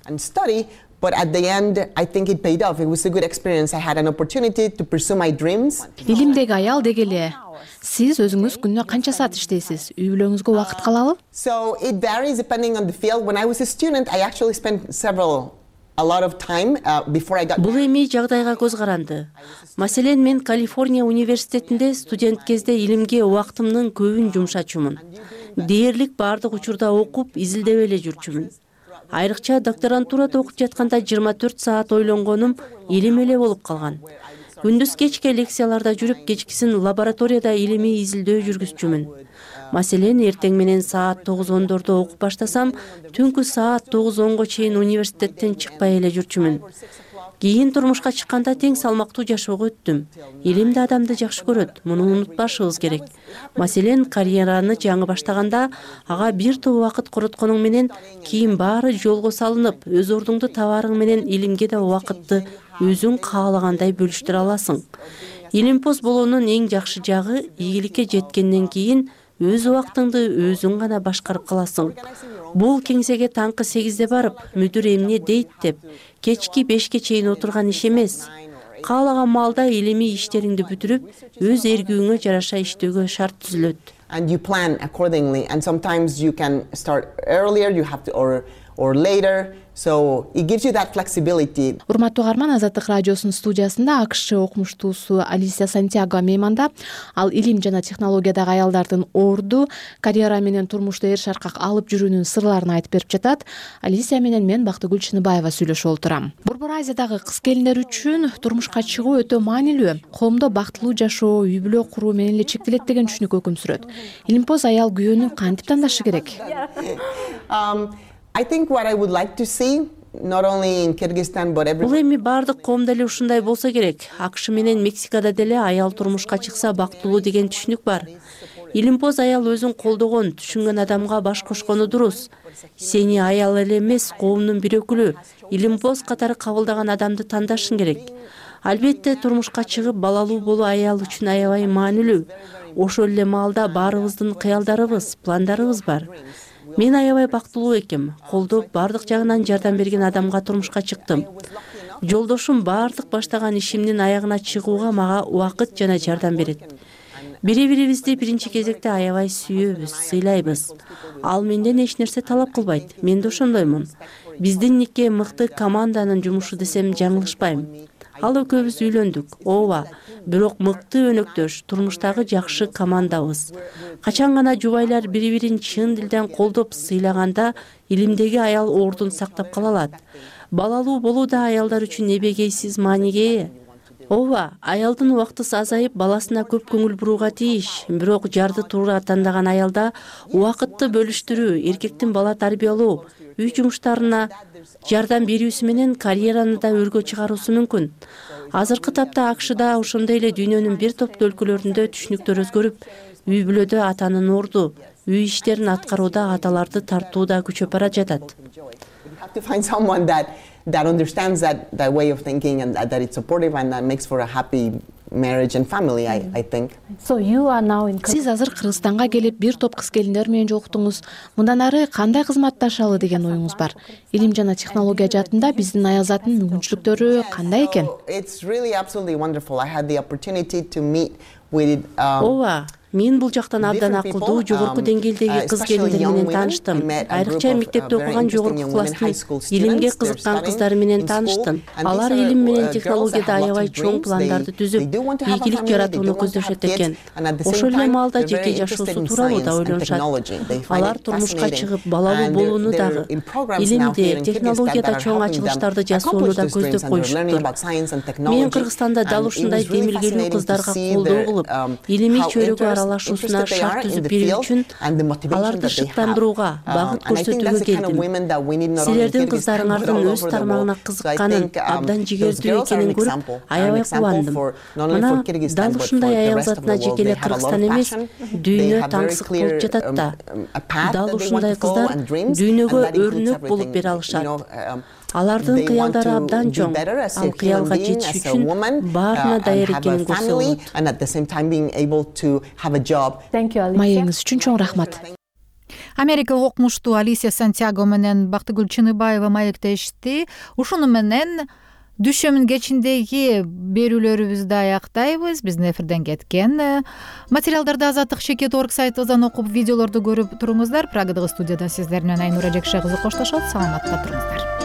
But at the end, I think it paid off. It was a good experience. I had an opportunity to pursue my dreams. Илимдеги аял дегеле. Сиз өзүңүз күнүнө канча саат иштейсиз? Үй бүлөңүзгө убакыт калабы? So it varies depending on the field. When I was a student, I actually spent several a lot of time uh, before I got Бул эми жагдайга көз каранды. Маселен, мен Калифорния университетинде студент кезде илимге убактымдын көбүн жумшачумун. Дээрлик бардык учурда окуп, изилдеп эле жүрчүмүн. Айрыкча докторантурада окуп жатканда жыйырма төрт саат ойлонгонум илим эле болуп калган. Күндүз кечке лекцияларда жүрүп, кечкисин лабораторияда илимий изилдөө жүргүзчүмүн. Маселен, эртең менен саат тогуз ондордо окуп баштасам, түнкү саат тогуз онго чейин университеттен чыкпай эле жүрчүмүн. Кийин турмушка чыкканда тең салмактуу жашоого өттүм. Илим да адамды жакшы көрөт, муну унутпашыбыз керек. Маселен, карьераны жаңы баштаганда ага бир топ убакыт коротконуң менен кийин баары жолго салынып, өз ордуңду табарың менен илимге да убакытты өзүң каалагандай бөлүштүрө аласың. Илимпоз болуунун эң жакшы жагы ийгиликке жеткенден кийин өз убактыңды өзүң гана башкарып каласың. Бул кеңсеге таңкы сегизде барып, мүдүр эмне дейт деп, кечки бешке чейин отурган иш эмес. Каалаган маалда илимий иштериңди бүтүрүп, өз эргүүңө жараша иштөөгө шарт түзүлөт. And you plan accordingly. And sometimes you can start earlier, you have to, or or later. So it gives you that flexibility. Урматтуу угарман, Азаттык радиосунун студиясында АКШ окумуштуусу Алисия Сантьяго мейманда. Ал илим жана технологиядагы аялдардын орду, карьера менен турмушта эр шаркак алып жүрүүнүн сырларын айтып берип жатат. Алисия менен мен Бактыгүл Чыныбаева сүйлөшүп олтурам. Борбор Азиядагы кыз келиндер үчүн турмушка чыгуу өтө маанилүү. Коомдо бактылуу жашоо, үй бүлө куруу менен эле чектелет деген түшүнүк өкүм сүрөт. Илимпоз аял күйөөнү кантип тандашы керек? I think what I would like to see, not only in Kyrgyzstan but everywhere. Бул эми бардык коомдо эле ушундай болсо керек. АКШ менен Мексикада деле аял турмушка чыкса бактылуу деген түшүнүк бар. Илимпоз аял өзүн колдогон, түшүнгөн адамга баш кошкону дурус. Сени аял эле эмес, коомдун бир өкүлү, илимпоз катары кабылдаган адамды тандашың керек. Албетте турмушка чыгып балалуу болуу аял үчүн аябай маанилүү. Ошол эле маалда баарыбыздын кыялдарыбыз, пландарыбыз бар. Мен аябай бактылуу экем. Колдоп, бардык жагынан жардам берген адамга турмушка чыктым. Жолдошум бардык баштаган ишимдин аягына чыгууга мага убакыт жана жардам берет. Бири-бирибизди биринчи кезекте аябай сүйөбүз, сыйлайбыз. Ал менден эч нерсе талап кылбайт. Мен да ошондоймун. Биздин нике мыкты команданын жумушу десем жаңылышпайм. Ал экөөбүз үйлөндүк. Ооба, бирок мыкты өнөктөш, турмуштагы жакшы командабыз. Качан гана жубайлар бири-бирин чын дилден колдоп сыйлаганда, илимдеги аял ордун сактап кала алат. Балалуу болуу да аялдар үчүн эбегейсиз мааниге ээ. Ооба, аялдын убактысы азайып, баласына көп көңүл бурууга тийиш. Бирок жарды туура тандаган аялда убакытты бөлүштүрүү, эркектин бала тарбиялоо, үй жумуштарына жардам берүүсү менен карьераны да өргө чыгаруусу мүмкүн. Азыркы тапта АКШда ошондой эле дүйнөнүн бир топ өлкөлөрүндө түшүнүктөр өзгөрүп, үй бүлөдө атанын орду, үй иштерин аткарууда аталарды тартууда күчөп бара жатат. To find someone that that understands that that way of thinking and that, that it's supportive and that makes for a happy marriage and family, I, I think. So you are now in Сиз азыр Кыргызстанга келип бир топ кыз келиндер менен жолуктуңуз. Мындан ары кандай кызматташалы деген оюңуз бар? Илим жана технология жаатында биздин аялзаттын мүмкүнчүлүктөрү кандай экен? It's really absolutely wonderful. I had the opportunity to meet with um Ооба, мен бул жактан абдан акылдуу, жогорку деңгээлдеги кыз келиндер менен тааныштым. Айрыкча мектепте окуган жогорку класстын илимге кызыккан кыздары менен тааныштым. Алар илим менен технологияда аябай чоң пландарды түзүп, ийгилик жаратууну көздөшөт экен. Ошол эле маалда жеке жашоосу тууралуу да ойлонушат. Алар турмушка чыгып балалуу болууну дагы, илимде, технологияда чоң ачылыштарды жасоону да көздөп коюшуптур. Мен Кыргызстанда дал ушундай демилгелүү кыздарга колдоо кылып, илимий чөйрөгө аралашуусуна шарт түзүп берүү үчүн аларды шыктандырууга, багыт көрсөтүүгө келдим. Силердин кыздарыңардын өз тармагына кызыкканын, абдан жигердүү экенин көрүп, аябай кубандым. Мына дал ушундай аял затына жеке эле Кыргызстан эмес, дүйнө таңсык болуп жатат да. Дал ушундай кыздар дүйнөгө өрнөк болуп бере алышат. Алардын кыялдары абдан чоң, ал кыялга жетиш үчүн баарына даяр экенин көрсө болот. Маегиңиз үчүн чоң рахмат. Америкалык окумуштуу Алисия Сантьяго менен Бактыгүл Чыныбаева маектешти. Ушуну менен дүйшөмүн кечиндеги берүүлөрүбүздү аяктайбыз. Биздин эфирден кеткен материалдарды Азаттык чекит точка орг сайтыбыздан окуп, видеолорду көрүп туруңуздар. Прагадагы студиядан сиздер менен Айнура Жекше кызы коштошот. Саламатта туруңуздар.